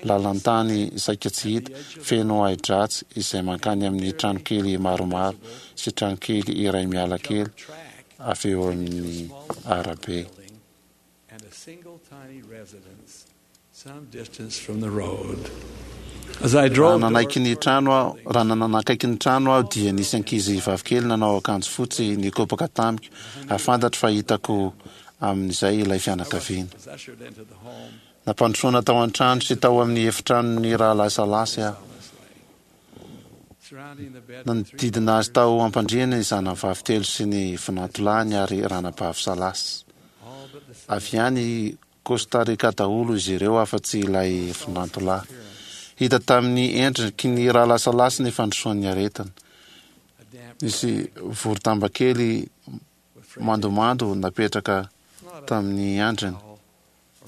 Lalan-tany saika tsy hita, feno ahi-dratsy izay mankany amin'ny tranokely maromaro sy tranokely iray miala kely avy eo amin'ny arabe. Raha nanaiky ny trano aho, raha nanakaiky ny trano aho dia nisy ankizy vavikely nanao akanjo fotsy nikopaka tamiko ary fantatro fa hitako amin'izay ilay fianakaviana. Nampandrosoana tao an-trano sy tao amin'ny efitranon'ny rahalahy Salasy aho. Nanodidina azy tao am-pandriana ny zanany vavy telo sy ny vinantolahiny ary ranabavy Salasy. Avy any Costa Rica daholo izy ireo afa-tsy ilay vinantolahy. Hita tamin'ny endriky ny rahalahy Salasy ny fandrosoan'ny aretina. Nisy voro-damba kely mandomando napetraka tamin'ny andriny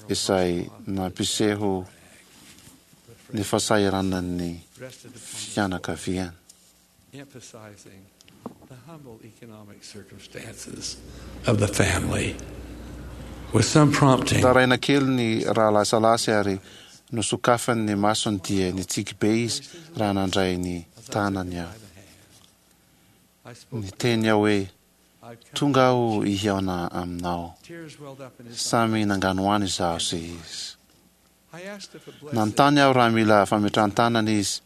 izay nampiseho ny fahasahiranan'ny fianakaviany. Nitaraina kely ny rahalahy Salasy ary nosokafany ny masony dia nitsiky be izy raha nandray ny tanany aho. Niteny aho hoe, Tonga aho hihaona aminao. Samy nanganohano izaho sy izy. Nanontany aho raha mila fametrahan-tanana izy,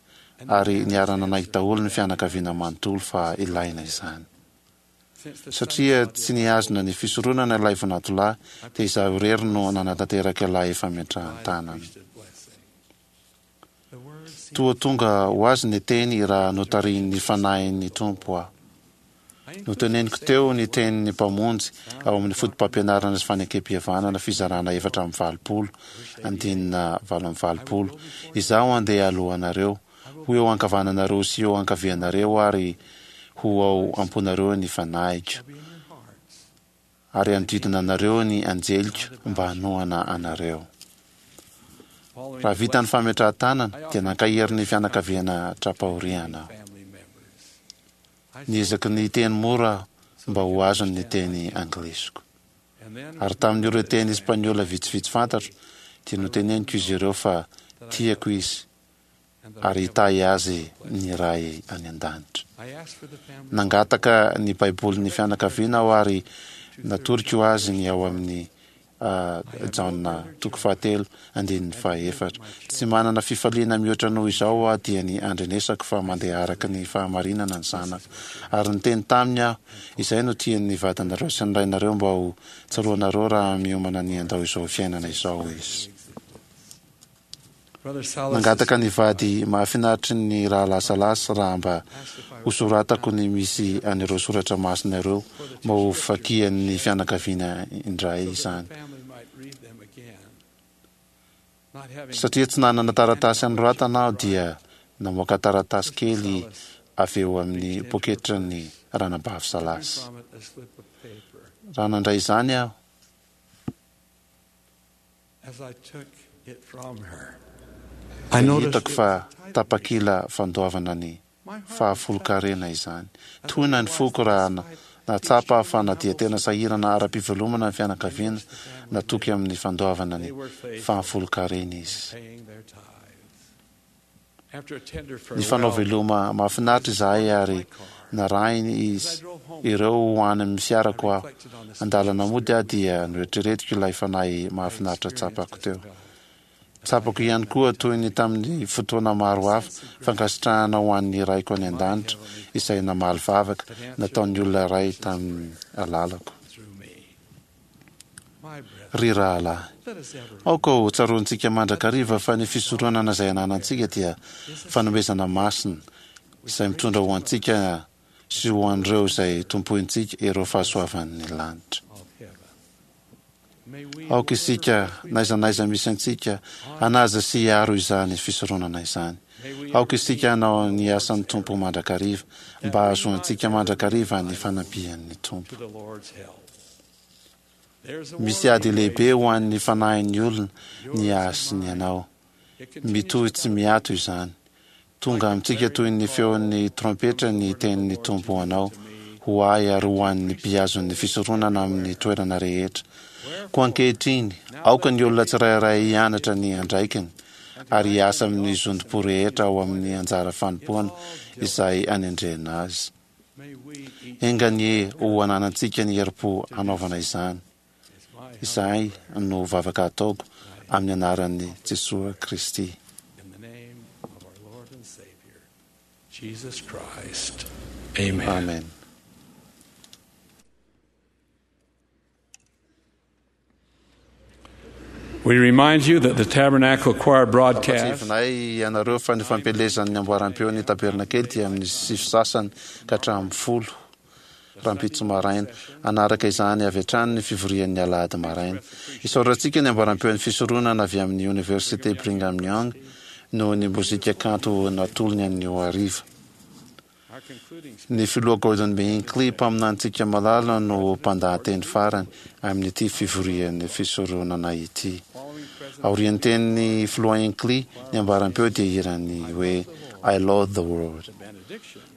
ary niara-nanaiky daholo ny fianakaviana manontolo fa ilaina izany. Satria tsy nihazona ny fisoronana ilay vinantolahy, dia izaho irery no nanatanteraka ilay fametrahan-tanana. Toa tonga ho azy ny teny raha notarihin'ny Fanahin'ny Tompo aho. Noteneniko teo ny tenin'ny Mpamonjy ao amin'ny Fotopampianarana sy Fanekempihavanana fizarana efatra amby valopolo, andinina valo amby valopolo, Izaho handeha alohanareo, ho eo ankavananareo sy eo ankavianareo ary ho ao am-ponareo ny Fanahiko, ary hanodidina anareo ny anjeliko mba hanohana anareo. Raha vita ny fametrahan-tanana, dia nankahery ny fianakaviana tra-pahoriana aho. Niezaka niteny mora aho mba ho azony ny teny anglisiko. Ary tamin'ireo teny espaniola vitsivitsy fantatro dia noteneniko izy ireo fa tiako izy ary hitahy azy ny Ray any an-danitra. Nangataka ny Baibolin'ny fianakaviana aho ary natoroko azy ny ao amin'ny Jaona toko fahatelo andininy fahaefatra. Tsy manana fifaliana mihoatra noho izao aho dia ny andrenesako fa mandeha araka ny fahamarinana ny zanako. Ary niteny taminy aho, izay no tian'ny vadinareo sy ny rainareo mba ho tsaroanareo raha miomana ny handao izao fiainana izao izy. Nangataka ny vady mahafinaritry ny Rahalahy Salas raha mba hosoratako ny misy an'ireo soratra masina ireo mba ho vakian'ny fianakaviana indray izany. Satria tsy nanana taratasy hanoratana aho dia namoaka taratasy kely avy eo amin'ny poketran'ny ranabavy Salas. Raha nandray izany aho, dia hitako fa tapakila fandoavana ny fahafolonkarena izany. Tohina ny foko raha nahatsapa aho fa na dia tena sahirana ara-pivelomana ny fianakaviana, natoky amin'ny fandoavana ny fahafolonkarena izy. Nifanao veloma mahafinaritra izahay ary narahiny izy ireo ho any amin'ny fiarako aho. An-dalana mody aho dia noeritreretiko ilay fanahy mahafinaritra tsapako teo. Tsapako ihany koa toy ny tamin'ny fotoana maro hafa, fankasitrahana ho an'ny Raiko any an-danitra izay namaly vavaka nataon'ny olona iray tamin'ny alalako. Ry rahalahy, aoka ho tsaroantsika mandrakariva fa ny fisoronana izay ananantsika dia fanomezana masina izay mitondra ho antsika sy ho an'ireo izay tompointsika ireo fahasoavan'ny lanitra. Aoka isika, n'aiza n'aiza misy antsika, hanaja sy hiaro izany fisoronana izany. Aoka isika hanao ny asan'ny Tompo mandrakariva, mba hahazoantsika mandrakariva ny fanampian'ny Tompo. Misy ady lehibe ho an'ny fanahin'ny olona ny ahy sy ny anao. Mitohy tsy miato izany. Tonga amintsika toy ny feon'ny trompetra ny tenin'ny Tompo ho anao, ho ahy ary ho an'ny mpihazon'ny fisoronana amin'ny toerana rehetra. Koa ankehitriny, aoka ny olona tsirairay hianatra ny andraikiny ary hiasa amin'ny zotom-po rehetra ao amin'ny anjara fanompoana izay anendrena azy. Enga anie ho ananantsika ny herim-po hanaovana izany. Izay no vavaka ataoko amin'ny anaran'i Jesoa Kristy. Amen. We remind you that the Tabernacle Choir broadcast Ampatsiahivinay ianareo fa ny fampielezan'ny amboaram-peo ny tabernakely dia amin'ny sivy sasany ka hatramin'ny folo rahampitso maraina. Hanaraka izany avy hatrany ny fivorian'ny alahady maraina. Isaorantsika ny amboaram-peon'ny fisoronana avy amin'ny Oniversite Brigham Young noho ny mozika kanto natolony anio hariva. Ny Filoha Gordon B. Hinckley, mpaminanintsika malala, no mpandahateny farany amin'ity fivorian'ny fisoronana ity. Aorian'ny tenin'ny Filoha Hinckley, ny ambaram-peo dia hiran'ny hoe I Love the World.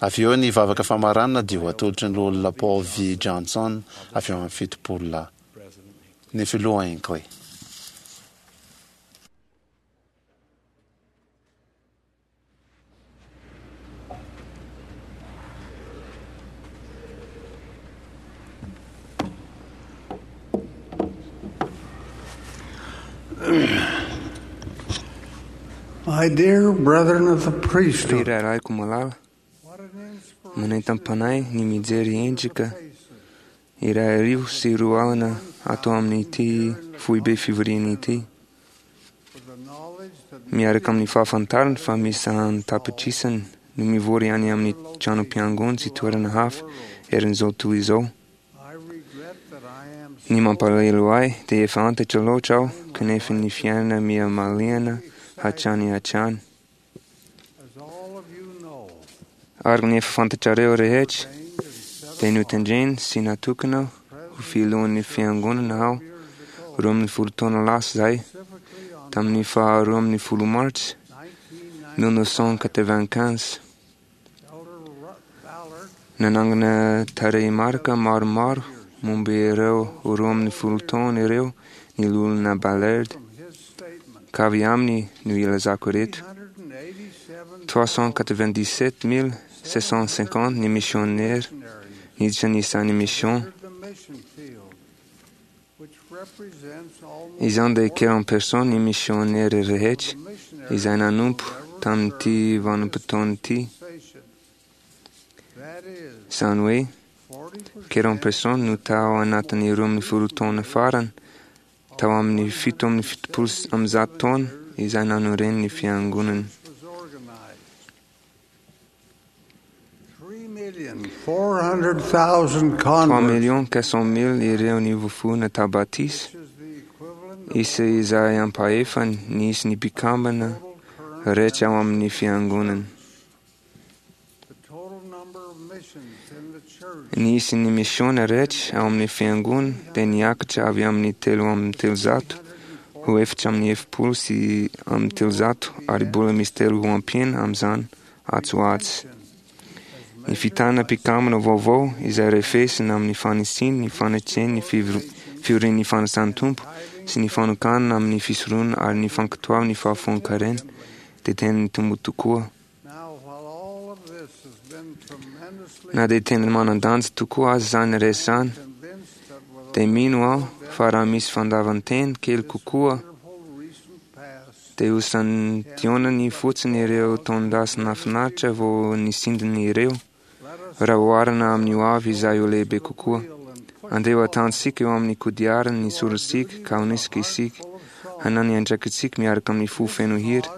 Avy eo ny vavaka famaranana dia ho atolotry ny Loholona Paul V. Johnson avy ao amin'ny Fitopolo Lahy. Ny Filoha Hinckley. My dear brethren of the Ry priesthood, rahalahiko malala, manentam-panahy ny mijery endrika iray arivo sy roa alina ato amin'ity foibe fivoriana ity. Miaraka amin'ny fahafantarana fa misy an-tapitrisany no mivory any amin'ny tranom-piangonana sy toerana hafa eran'izao tontolo izao. Ny mampalahelo ahy dia efa antitra loatra aho kanefa ny fiainana miha mahaliana hatrany hatrany. Araka ny efa fantatrareo rehetra dia notendrena sy natokana ho filohan'ny fiangonana aho roa ambin'ny folo taona lasa izay tamin'ny faha roa ambin'ny folo martsa mille neuf cent quatre-vingt-quinze. Nanangana tarehimarika maromaro momba ireo roa ambin'ny folo taona ireo ny loholona Ballard, ka avy aminy no ilazako ireto. Trois cent quatre-vingt-dix-sept mille sept cent cinquante ny missionnaire niditra ny isan'ny mission. Izany dia quarante personnes ny missionnaire rehetra izay nanompo tamin'ity vanim-potoana ity. Izany hoe quarante personnes no tao anatin'ny roa ambin'ny folo taona farany, tao amin'ny fito amby fitopolo amby zato taona izay nanoren'ny fiangonana. Trois millions quatre cent mille ireo nivofoana tao batisa, isa izay ampahefany ny isan'ny mpikambana rehetra ao amin'ny fiangonana. Ny isan'ny misiona rehetra ao amin'ny fiangonana dia niakatra avy amin'ny telo amby telonjato ho efatra amby efapolo sy amby telonjato ary mbola misy telo ho ampiana amin'izany atsy ho atsy. Ny fitana mpikambana vaovao izay refesina amin'ny fanisiana ny fanetren'ny fiorian'ny fanasan'ny Tompo sy ny fanokanana amin'ny fisoronana ary ny fankatoavana ny fahafoan-karena dia tena nitombo tokoa. Na dia tena manan-danja tokoa aza izany rehetra izany, dia mino aho fa raha misy fandavan-tena kely kokoa dia ho santionany fotsiny ireo taon-dasa nahafinaritra vao nisintona ireo, raha oharina amin'ny hoavy izay ho lehibe kokoa. Andeha ho ataontsika eo amin'ny kodiarany ny sorontsika ka honesika isika, hanao ny andraikitsika miaraka amin'ny fo feno hery.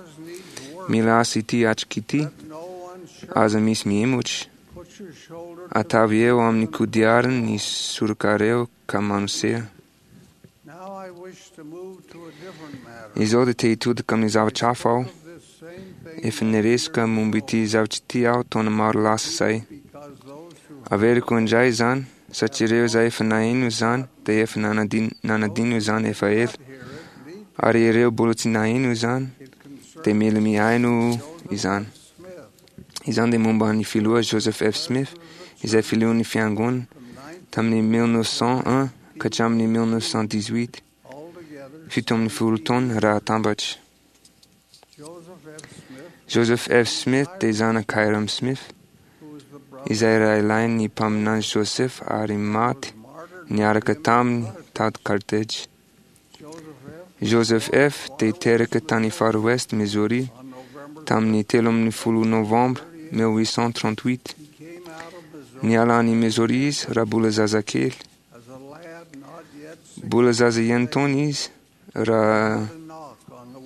Mila asa ity atrika ity, aza misy mihemotra. Ataovy eo amin'ny kodiarany ny sorokareo ka manosea. Izao dia te hitodika amin'ny zavatra hafa aho. Efa niresaka momba ity zavatra ity aho taona maro lasa izay. Averiko indray izany, satria ireo izay efa naheno izany dia efa nanadino izany efa ela. Ary ireo mbola tsy naheno izany dia mila mihaino izany. Izany dia momba ny filoha Joseph F. Smith, izay filohan'ny fiangonana tamin'ny mille neuf cent un ka hatramin'ny mille neuf cent dix-huit, fito ambin'ny folo taona raha atambatra. Joseph F. Smith dia zanak'i Hyrum Smith, izay rahalahin'ny mpaminany Joseph ary maty niaraka taminy tao Carthage. Joseph F. dia teraka tany Far West, Missouri, tamin'ny telo ambin'ny folo novambra mille huit cent trente-huit. Niala any Missouri izy raha mbola zazakely. Mbola zaza ihany taona izy raha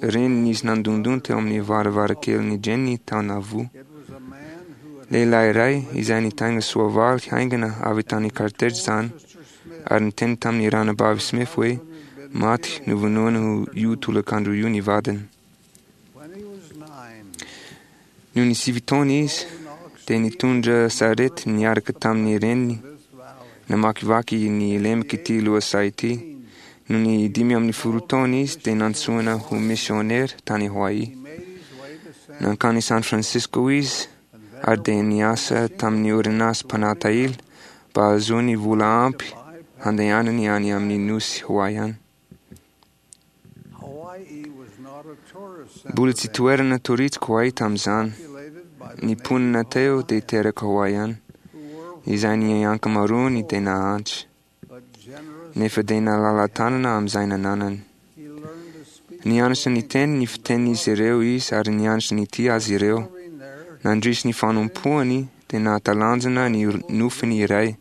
reny nisy nandondona teo amin'ny varavarakelin'i Jenny tao Nauvoo. Lehilahy iray izay nitaingina soavaly haingana avy tany Carthage izany ary niteny tamin'ny ranabavy Smith hoe maty novonoina io tolakandro io ny vadiny. Nony sivy taona izy dia nitondra sarety niaraka tamin'ny reniny namakivaky ny lemaka ity lohasaha ity. Nony dimy ambin'ny folo taona izy dia nantsoina ho missionnaire tany Hawaii. Nankany San Francisco izy ary dia niasa tamin'ny orinasa mpanatahily mba hahazoany vola ampy handehanany any amin'ny nosy Hawaiian. Mbola tsy toerana touristique Hawaii tamin'izany. Ny mponina teo dia teraka Hawaiian, izay ny ankamaroany dia nahantra, nefa dia nalala-tanana amin'izay nananany. Nianatra niteny ny fitenin'izy ireo izy ary nianatra nitia azy ireo. Nandritra ny fanompoany dia nahatalanjona ny nofiny iray.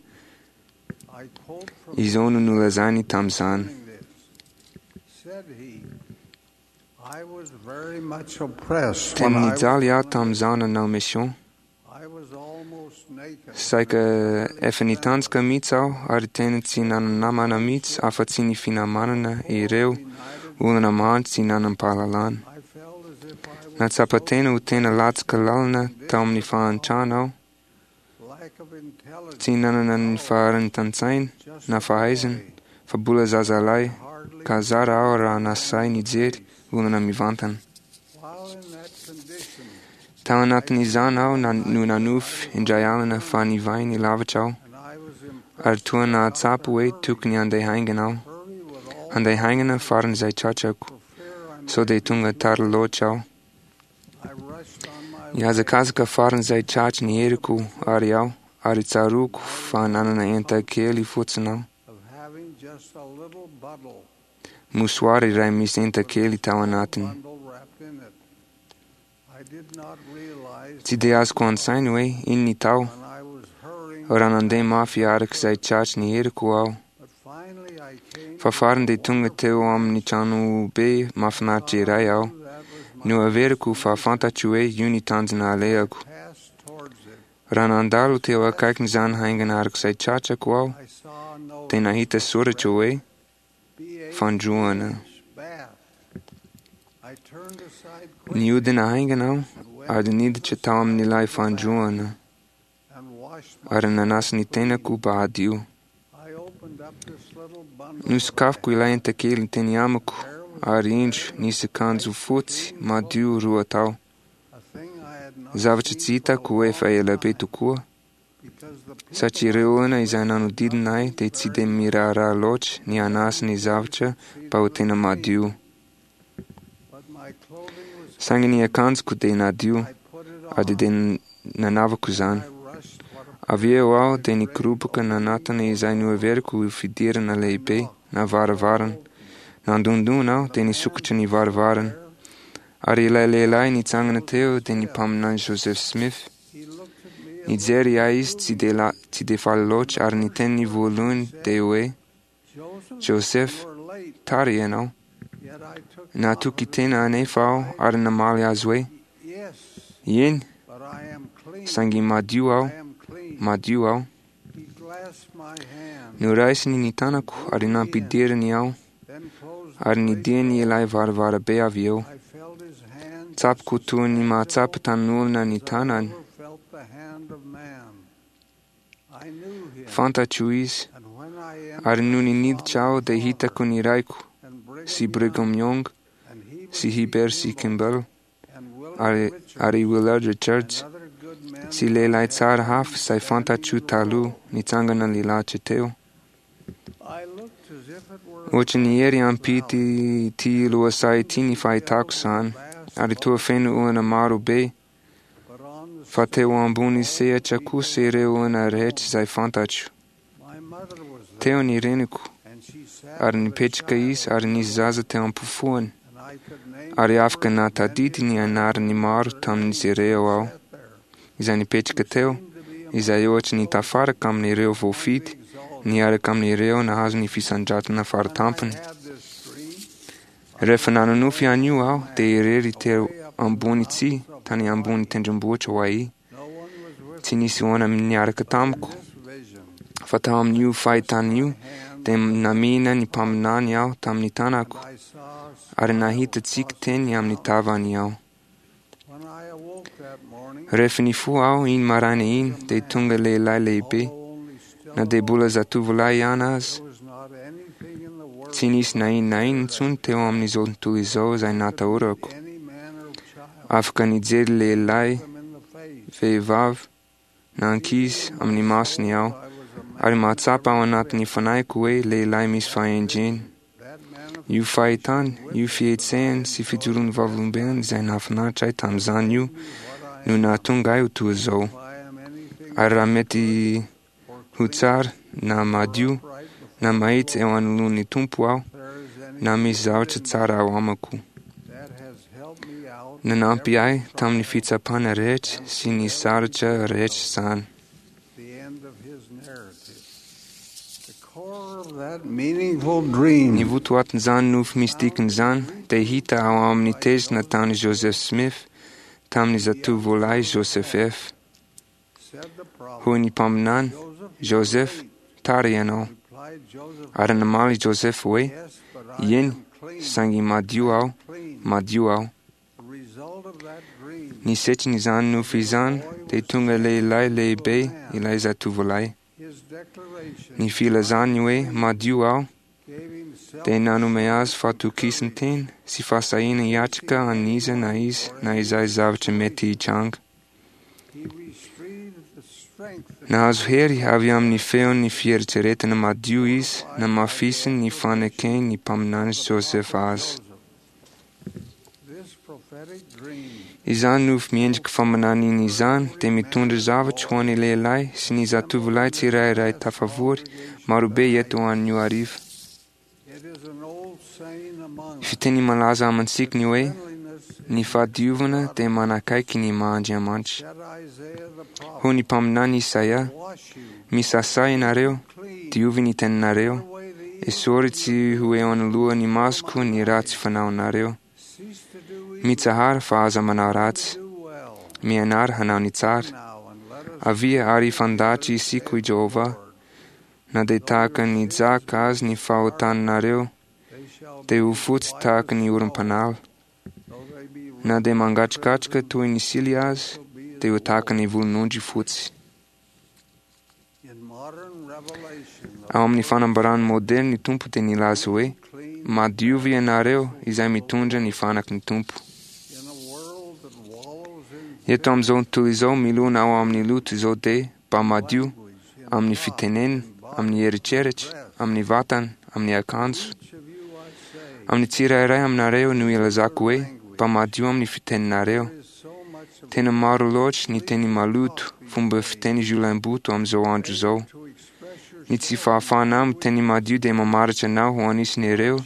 Izao no nolazainy tamin'izany. Tena nijaly aho tamin'izaho nanao mission. Saika efa nitanjaka mihitsy aho ary tena tsy nanana-namana mihitsy afa-tsy ny finamanana ireo olona mahantra tsy nanam-pahalalana. Nahatsapa tena ho tena latsaka lalina tao amin'ny fahantrana aho. Tsy nanana ny faharanitan-tsaina na fahaizana fa mbola zazalahy ka zara aho raha nasahy nijery olona mivantana. Tao anatin'izany aho no nanofy indray alina fa nivahiny lavitra aho, ary toa nahatsapa hoe tokony handeha haingana aho, handeha haingana faran'izay tratrako, sao dia tonga tara loatra aho. Nihazakazaka faran'izay tratry ny heriko àry aho, ary tsaroako fa nanana enta-kely fotsiny aho. Mosoara iray misy enta-kely tao anatiny. Tsy dia azoko an-tsaina hoe inona ny tao, raha nandeha mafy araka izay tratry ny heriko aho. Fa farany dia tonga teo amin'ny tranobe mahafinaritra iray aho. Noheveriko fa fantatro hoe io ny tanjona alehako. Raha nandalo teo akaikin'izany haingana araka izay tratrako aho, dia nahita soratra hoe "Fandroana". Nihodina haingana aho ary niditra tao amin'ilay fandroana, ary nanasa ny tenako mba hadio. Nosokafiko ilay enta-kely teny amiko, ary indro nisy akanjo fotsy madio roa tao. Zavatra tsy hitako efa ela be tokoa, satria ireo olona izay nanodidina ahy dia tsy dia miraharaha loatra ny hanasa ny zavatra mba ho tena madio. Saingy ny akanjoko dia nadio, ary dia nanavako izany. Avy eo aho dia nikoropaka nanatona izay noheveriko ho fidirana lehibe na varavarana. Nandondona aho dia nisokatra ny varavarana. Ary ilay lehilahy nitsangana teo dia ny mpaminany Joseph Smith. Nijery ahy izy tsy dia tsy dia faly loatra ary ny teniny voalohany dia hoe, Joseph, tara ianao. Natoky tena anefa aho ary namaly azy hoe, Eny, saingy madio aho, madio aho. Noraisiny ny tanako ary nampidiriny aho, ary nidiany ilay varavarabe avy eo. Tsapako toy ny mahatsapa tan'olona ny tanany. Fantatro izy, ary nony niditra aho dia hitako ny raiko, sy Brigham Young, sy Heber C. Kimball, ary, ary Willard Richards, sy lehilahy tsara hafa izay fantatro taloha nitsangana nilahatra teo. Ohatry ny hery ampity ity lohasaha ity ny fahitako izany, ary toa feno olona maro be, fa teo ambony sehatra kosa ireo olona rehetra izay fantatro. Teo ny reniko, ary nipetraka izy ary nisy zaza teo am-pofoany, ary afaka nahatadidy ny anaran'ny maro tamin'izy ireo aho, izay nipetraka teo, izay ohatry ny tafaraka amin'ireo voafidy, niaraka amin'ireo nahazo ny fisandratana faratampony. Rehefa nanonofy an'io aho, dia irery teo ambony tsihy tany ambony tendrombohitra Hawaii. Tsy nisy olona niaraka tamiko, fa tao amin'io fahitana io dia namihina ny mpaminany aho tamin'ny tanako, ary nahita tsiky teny amin'ny tavany aho. Rehefa nifoha aho iny maraina iny, dia tonga lehilahy lehibe, na dia mbola zatovolahy ihany aza. Tsy nisy na inona na inona intsony teo amin'izao tontolo izao izay natahorako. Afaka nijery lehilahy, vehivavy, na ankizy amin'ny masony aho, ary mahatsapa ao anatin'ny fanahiko hoe lehilahy misy fahendrena. Io fahitany, io fihetsehany sy fijoroan'ny vavolombelona izay nahafinaritra ahy tamin'izany io no nahatonga ahy ho toa izao. Ary raha mety ho tsara na madio na mahitsy eo anoloan'ny Tompo aho, na misy zavatra tsara ao amiko. Nanampy ahy tamin'ny fitsapana rehetra sy ny sarotra rehetra izany. Ny votoatin'izany nofy misy dikany izany dia hita ao amin'ny teny nataon'i Joseph Smith tamin'ny zatovolahy Joseph F. Hoy ny mpaminany, Joseph, tara ianao. Ary namaly Joseph hoe, Eny, saingy madio aho, madio aho. Ny setrin'izany nofy izany dia tonga lehilahy lehibe ilay zatovolahy. Ny filazany hoe madio aho dia nanome azy fahatokisan-tena sy fahasahiana hiatrika an'iza na iza na izay zavatra mety hitranga. Nahazo hery avy amin'ny feon'ny fieritreretana madio izy namafisiny ny faneken'ny mpaminany Joseph azy. Izany nofy miendrika faminaniana izany dia mitondra zavatra ho an'ny lehilahy sy ny zatovolahy tsirairay tafavory marobe eto anio hariva. Fiteny malaza amintsika ny hoe ny fahadiovana dia manakaiky ny maha-Andriamanitra. Hoy ny mpaminany Isaia, misasà ianareo, diovy ny tenanareo, esory tsy ho eo anoloan'ny masoko ny ratsy fanaonareo. Mitsahara fa aza manao ratsy. Mianara hanao ny tsara. Avia ary hifandahatra isika hoy Jehovah, na dia tahaka ny jaka azy ny fahotanareo, dia ho fotsy tahaka ny oram-panala. Na dia mangatsikatsika toy ny sily azy, dia ho tahaka ny volonondry fotsy. Ao amin'ny fanambarany moderna ny Tompo dia nilaza hoe, madiova ianareo izay mitondra ny fanaky ny Tompo. Eto amin'izao tontolo izao milona ao amin'ny loto izao dia mba madio amin'ny fitenena, amin'ny eritreritra, amin'ny vatana, amin'ny akanjo. Amin'ny tsirairay aminareo no ilazako hoe mba madio amin'ny fiteninareo. Tena maro loatra ny teny maloto, fomba fiteny jiolahimboto amin'izao andro izao. Ny tsy fahafahana miteny madio dia mamaritra anao ho anisan'ireo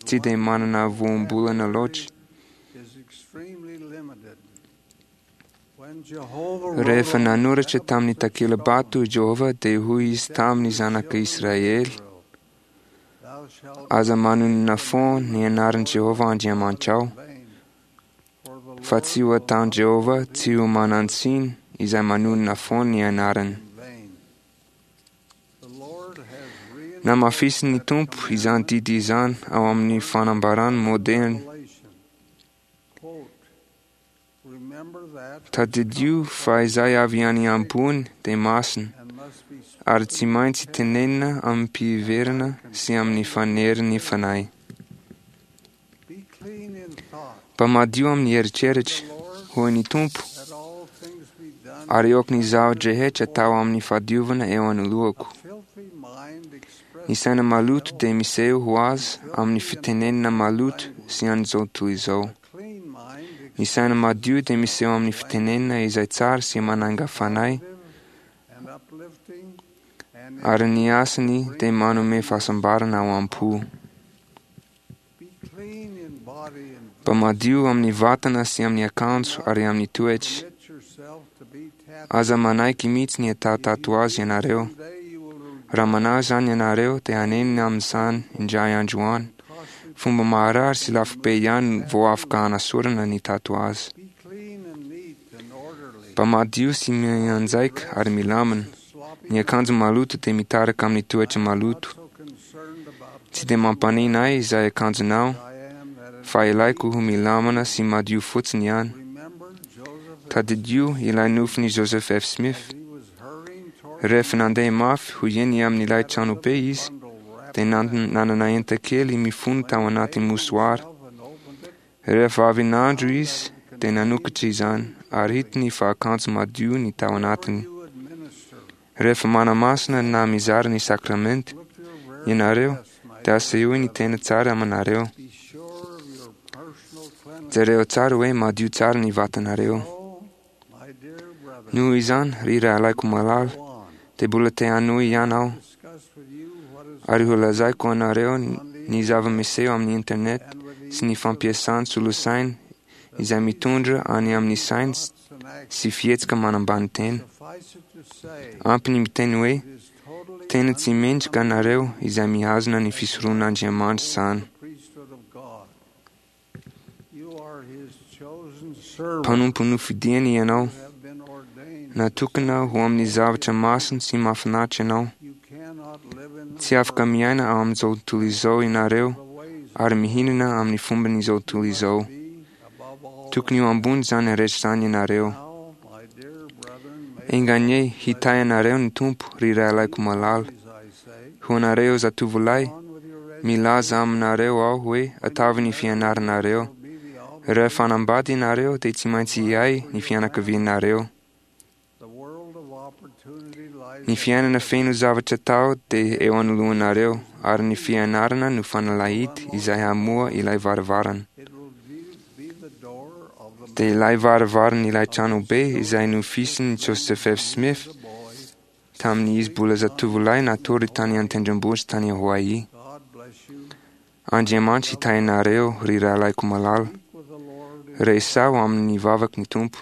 tsy dia manana voambolana loatra. Rehefa nanoratra tamin'ny takela-bato i Jehovah dia hoy izy tamin'ny zanaka Israely, aza manonona foana ny anaran'i Jehovah Andriamanitrao, fa tsy ho ataon'i Jehovah tsy ho manan-tsiny izay manonona foana ny anarany. Namafisin'ny Tompo izany didy izany ao amin'ny fanambarany moderna. Tadidio fa izay avy any ambony dia masina, ary tsy maintsy tenenina amim-piheverana sy amin'ny fanerin'ny fanahy. Mba madio amin'ny eritreritra, hoy ny Tompo, ary aoka ny zava-drehetra atao amin'ny fahadiovana eo anoloako. Ny saina maloto dia miseho ho azy amin'ny fitenenana maloto sy an'izao tontolo izao. Ny saina madio dia miseho amin'ny fitenenana izay tsara sy mananga fanahy, ary ny asany dia manome fahasambarana ao am-po. Mba madio amin'ny vatana sy amin'ny akanjo ary amin'ny toetra. Aza manaiky mihitsy ny atao tatoazy ianareo. Raha manao izany ianareo dia hanenina amin'izany indray andro any. Fomba maharary sy lafo be ihany vao afaka hanasorana ny tatoazy. Mba madio sy mianjaika ary milamina. Ny akanjo maloto dia mitarika amin'ny toetra maloto. Tsy dia mampanina ahy izay akanjonao, fa ilaiko ho milamina sy madio fotsiny ihany. Tadidio ilay nofin'i Joseph F. Smith. Rehefa nandeha mafy ho eny amin'ilay tranobe izy, dia nanana enta-kely mifono tao anaty mosoara. Rehefa avy nandro izy, dia nanokatra izany, ary hitany fa akanjo madio ny tao anatiny. Rehefa manamasina na mizara ny sakramenta ianareo, dia asehoy ny tena tsara aminareo. Jereo tsara hoe madio tsara ny vatanareo. Noho izany, ry rahalahiko malala, dia mbola te hanohy ihany aho, ary ho lazaiko anareo ny zava-miseho amin'ny internet sy ny fampiasana solosaina izay mitondra any amin'ny saina sy fihetsika manambany tena. Ampy ny miteny hoe tena tsy mendrika anareo izay mihazona ny fisoronan'Andriamanitra izany. Mpanompo nofidiany ianao, natokana ho amin'ny zavatra masina sy mahafinaritra ianao. Tsy afaka miaina ao amin'izao tontolo izao ianareo ary mihinana amin'ny fomban'izao tontolo izao. Tokony ho ambony izany rehetra izany ianareo. Enga anie hitahy anareo ny Tompo, ry rahalahiko malala. Ho anareo zatovolahy, Milaza aminareo aho hoe ataovy ny fianaranareo. Rehefa hanambady ianareo dia tsy maintsy hiahy ny fianakavianareo. Ny fiainana feno zavatra atao dia eo anoloanareo, ary ny fianarana no fanalahidy izay hamoha ilay varavarana. Dia ilay varavaran'ilay tranobe izay nofisin'i Joseph F. Smith tamin'izy mbola zatovolahy natory tany an-tendrombohitra tany Hawaii. Andriamanitra hitahy anareo, ry rahalahiko malala. Resaho amin'ny vavaky ny Tompo.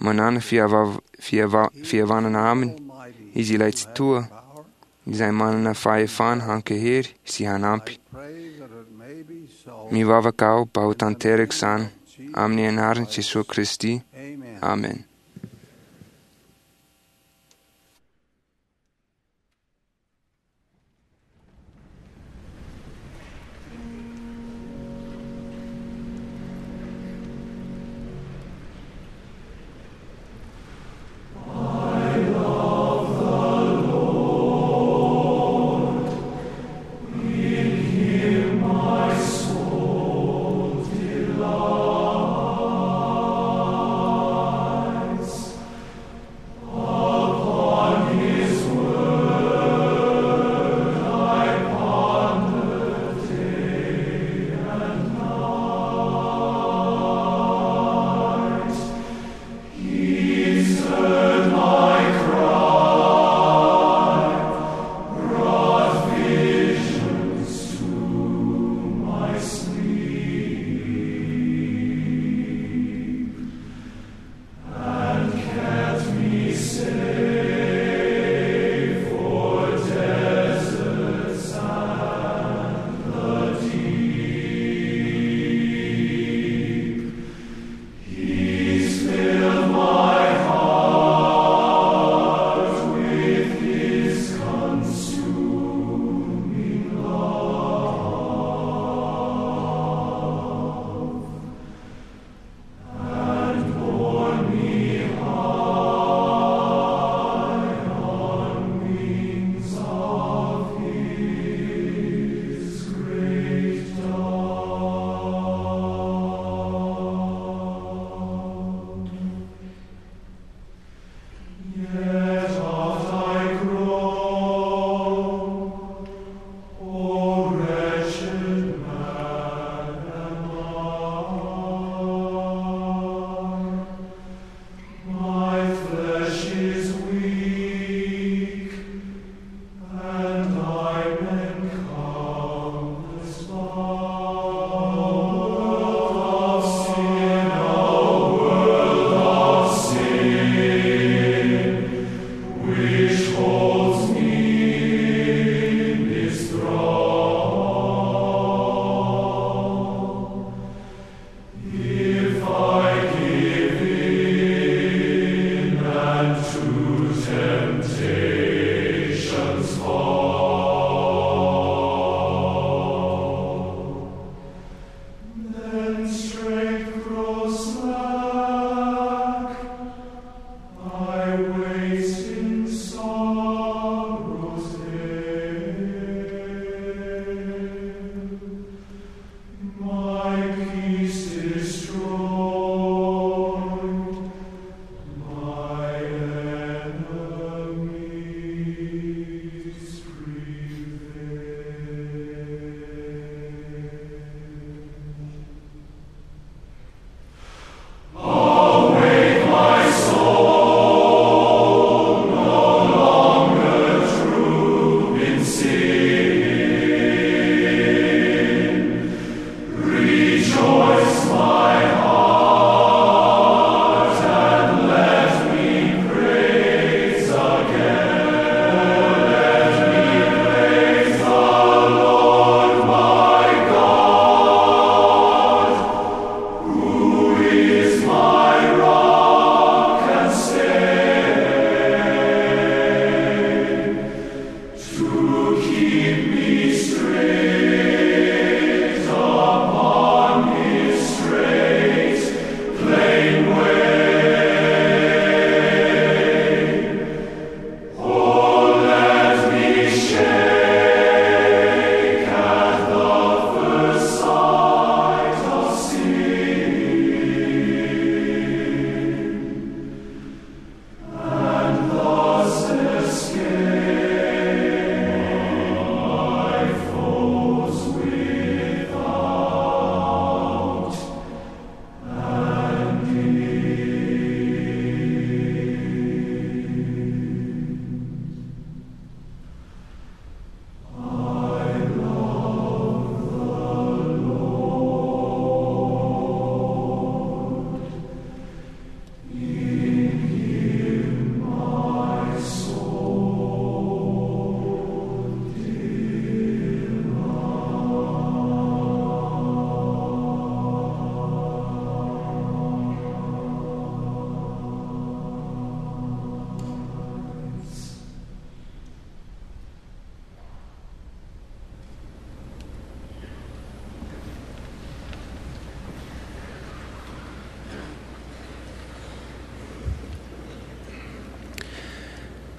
Manana fiava- fiava- fihavanana aminy izy ilay Tsitoha, izay manana fahefana hankahery sy hanampy. Mivavaka aho mba ho tanteraka izany amin'ny anaran'i Jesoa Kristy. Amen. My soul delights.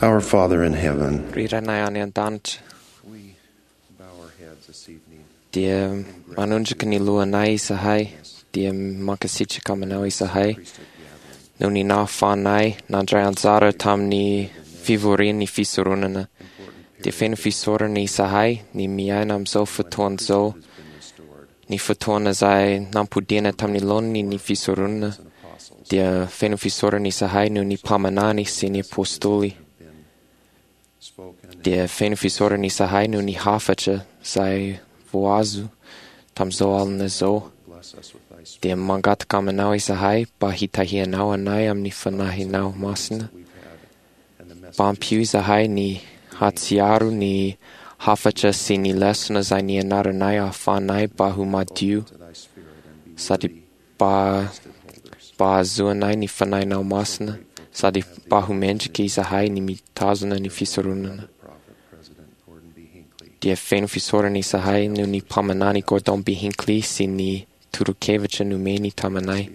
Our Father in heaven, Ry Rainay any an-danitra, dia manondrika ny lohanay izahay, dia mankasitraka aminao izahay noho ny nahafahanay nandray anjara tamin'ny fivorian'ny fisoronana. Dia feno fisaorana izahay ny miaina amin'izao fotoana izao, ny fotoana izay nampodiana tamin'ny laoniny ny fisoronana. Dia feno fisaorana izahay noho ny mpaminany sy ny apôstôly. Dia feno fisaorana izahay noho ny hafatra izay voazo tamin'izao alina izao. Dia mangataka aminao izahay mba hitahianao anay amin'ny fanahinao masina. Mba ampio izahay ny hatsiaro ny hafatra sy ny lesona izay nianaranay ahafahanay mba ho madio sady mba mba hahazoanay ny fanahinao masina sady mba ho mendrika izahay ny mitazona ny fisoronana. Dia feno fisaorana izahay noho ny mpaminany Gordon B. Hinckley sy ny torohevitra nomeny taminay.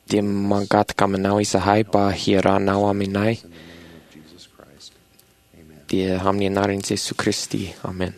Dia mangataka aminao izahay mba hiarahanao aminay. Dia amin'ny anaran'i Jesoa Kristy. Amen.